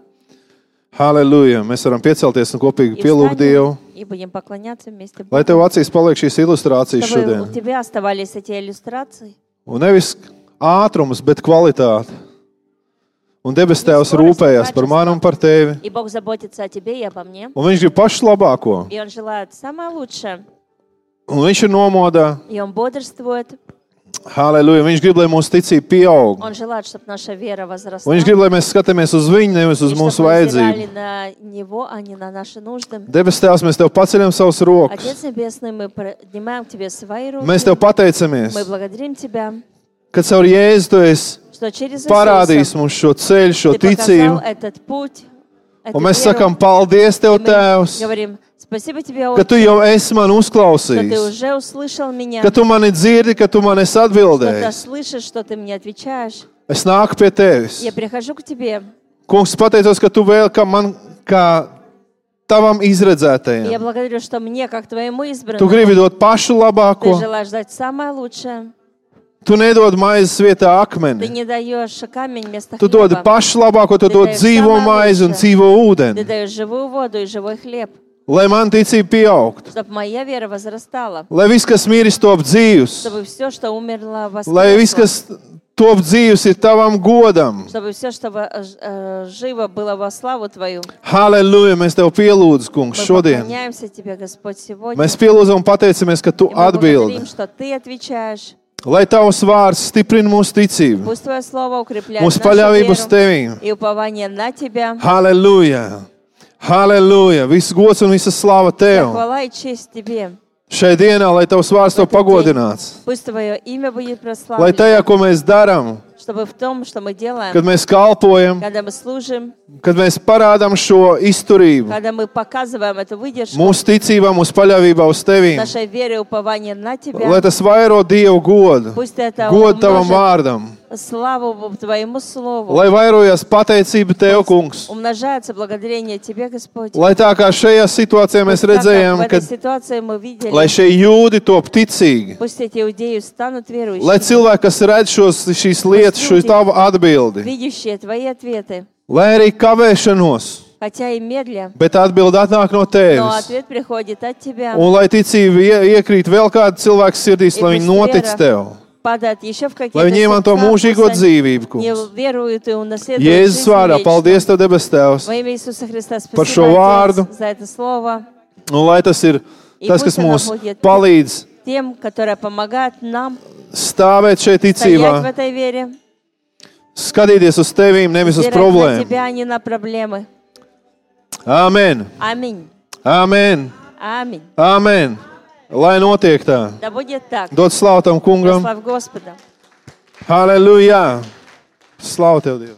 Halleluja! Mēs varam piecelties un kopīgi И pielūgt Dievu. встанем и будем поклоняться вместе Lai Богу. tev acīs paliek šīs ilustrācijas Чтобы у šodien. тебя оставались эти иллюстрации. Un nevis ātrums, bet kvalitāte. Un debes Tēvs rūpējas par mani un par tevi. И Бог заботится о тебе и обо мне. Un viņš grib pašu labāko. И Он желает самое лучшее. Un viņš ir nomodā. И Он бодрствует. Halleluja! Viņš grib, lai mūsu ticība pieaug. Он желает, чтобы наша вера возросла. Un viņš grib, lai mēs skatāmies uz viņu, nevis uz И mūsu чтобы мы vajadzību. взирали на Него, а не на наши нужды. Debes Tēvs, mēs Tev paceļam savus rokas. Отец Небесный, мы поднимаем к Тебе свои руки. Mēs Tev pateicamies, Мы благодарим Тебя, ka caur Jēzu Tu esi что через parādījis Иисуса mums šo ceļu, šo Ты показал ticību. этот путь, эту Un mēs веру. sakām paldies Tev, И мы Tēvs, говорим, спасибо Тебе, ka Tu Отче, jau esi man что Ты uzklausījis, уже услышал меня, ka Tu mani dzirdi, ka Tu man esi что Ты atbildējis. слышишь, что Ты мне отвечаешь. Es nāku pie Tevis. Я прихожу к Тебе. Kungs, pateicos, ka Tu vēl kā man, kā Tavam И izredzētajam. я благодарю, что мне, как Твоему Tu избранному, gribi dot pašu Ты labāko. желаешь дать самое лучшее. Tu nedod maizes vietā Ты akmeni. не даешь камень вместо Tu dod хлеба. pašu labāko, tu Ты dod даешь dzīvo самое maizi un лучшее. dzīvo Ты ūdeni. даешь живую воду и живой хлеб, Lai man ticība pieaugtu. чтобы моя вера возрастала, Lai viss, kas miris, top dzīvs. чтобы все, что умерло, Lai viss, воскресло, kas top dzīvs, ir tavam godam. чтобы все, что живо было во славу Твою. Halleluja! Mēs tev pielūdzam, kungs, Мы šodien. поклоняемся Тебе, Господь, сегодня. Mēs pielūdzam un pateicamies, ka tu И мы благодарим, atbildi. что Ты отвечаешь. Lai tavs vārds stiprina mūsu ticību, Пусть Твое Слово укрепляет mūsu нашу paļāvību uz веру tevīm. и упование на Тебя. Halleluja! Halleluja! Viss gods un visa slava Вся tev. хвала и честь Тебе. Šai dienā, lai tavs vārds tev pagodināts. Пусть Твое имя будет Lai прославлено, tajā, ko mēs darām, чтобы в том, что мы делаем, kad mēs kalpojam, когда мы служим, kad mēs parādām šo izturību, когда мы показываем эту выдержку, mūsu ticībā, mūsu paļāvībā uz tevīm, нашей веры и упование на lai Тебя, tas vairo Dievu godu, пусть это godu tavam умножит vārdam, славу Твоему Слову, lai vairojas pateicība Tev, kungs. умножается благодарение Тебе, Господь. Lai tā kā šajā situācijā mēs Пусть так, как redzējām, в ka этой ситуации мы видели, lai šie jūdi top ticīgi, пусть эти иудеи станут lai верующими, cilvēki, kas redz šīs lietas, šo tavu atbildi, видящие Твои ответы, lai arī kavēšanos, хотя и медля, bet atbildi atnāk no но Tevis. ответ приходит от Тебя. Un lai ticība iekrīt vēl kāda cilvēka sirdīs, lai И viņi пусть notic вера Tev, Падает еще в какие-то lai viņi iemanto сердца, mūžīgo пусть они dzīvību, не kungs. веруют и унаследуют Jēzus жизнь vārdā, вечную. paldies Tev, debes Tēvs, Во имя Иисуса Христа Par šo спасибо, vārdu. Отец, за это слово. un lai tas ir tas, kas pust mums она будет palīdz Тем, которые помогают нам stāvēt šeit стоять в ticībā, этой вере, skatīties uz Tevīm, nevis uz взирать на problēmu. Тебя, а не на проблемы. Āmen! Аминь. Āmen! Аминь. Āmen! Lai notiek tā. Да будет так. Dod slavu tam kungam. Слава Господа. Halleluja! Slavu Tev, Dievs!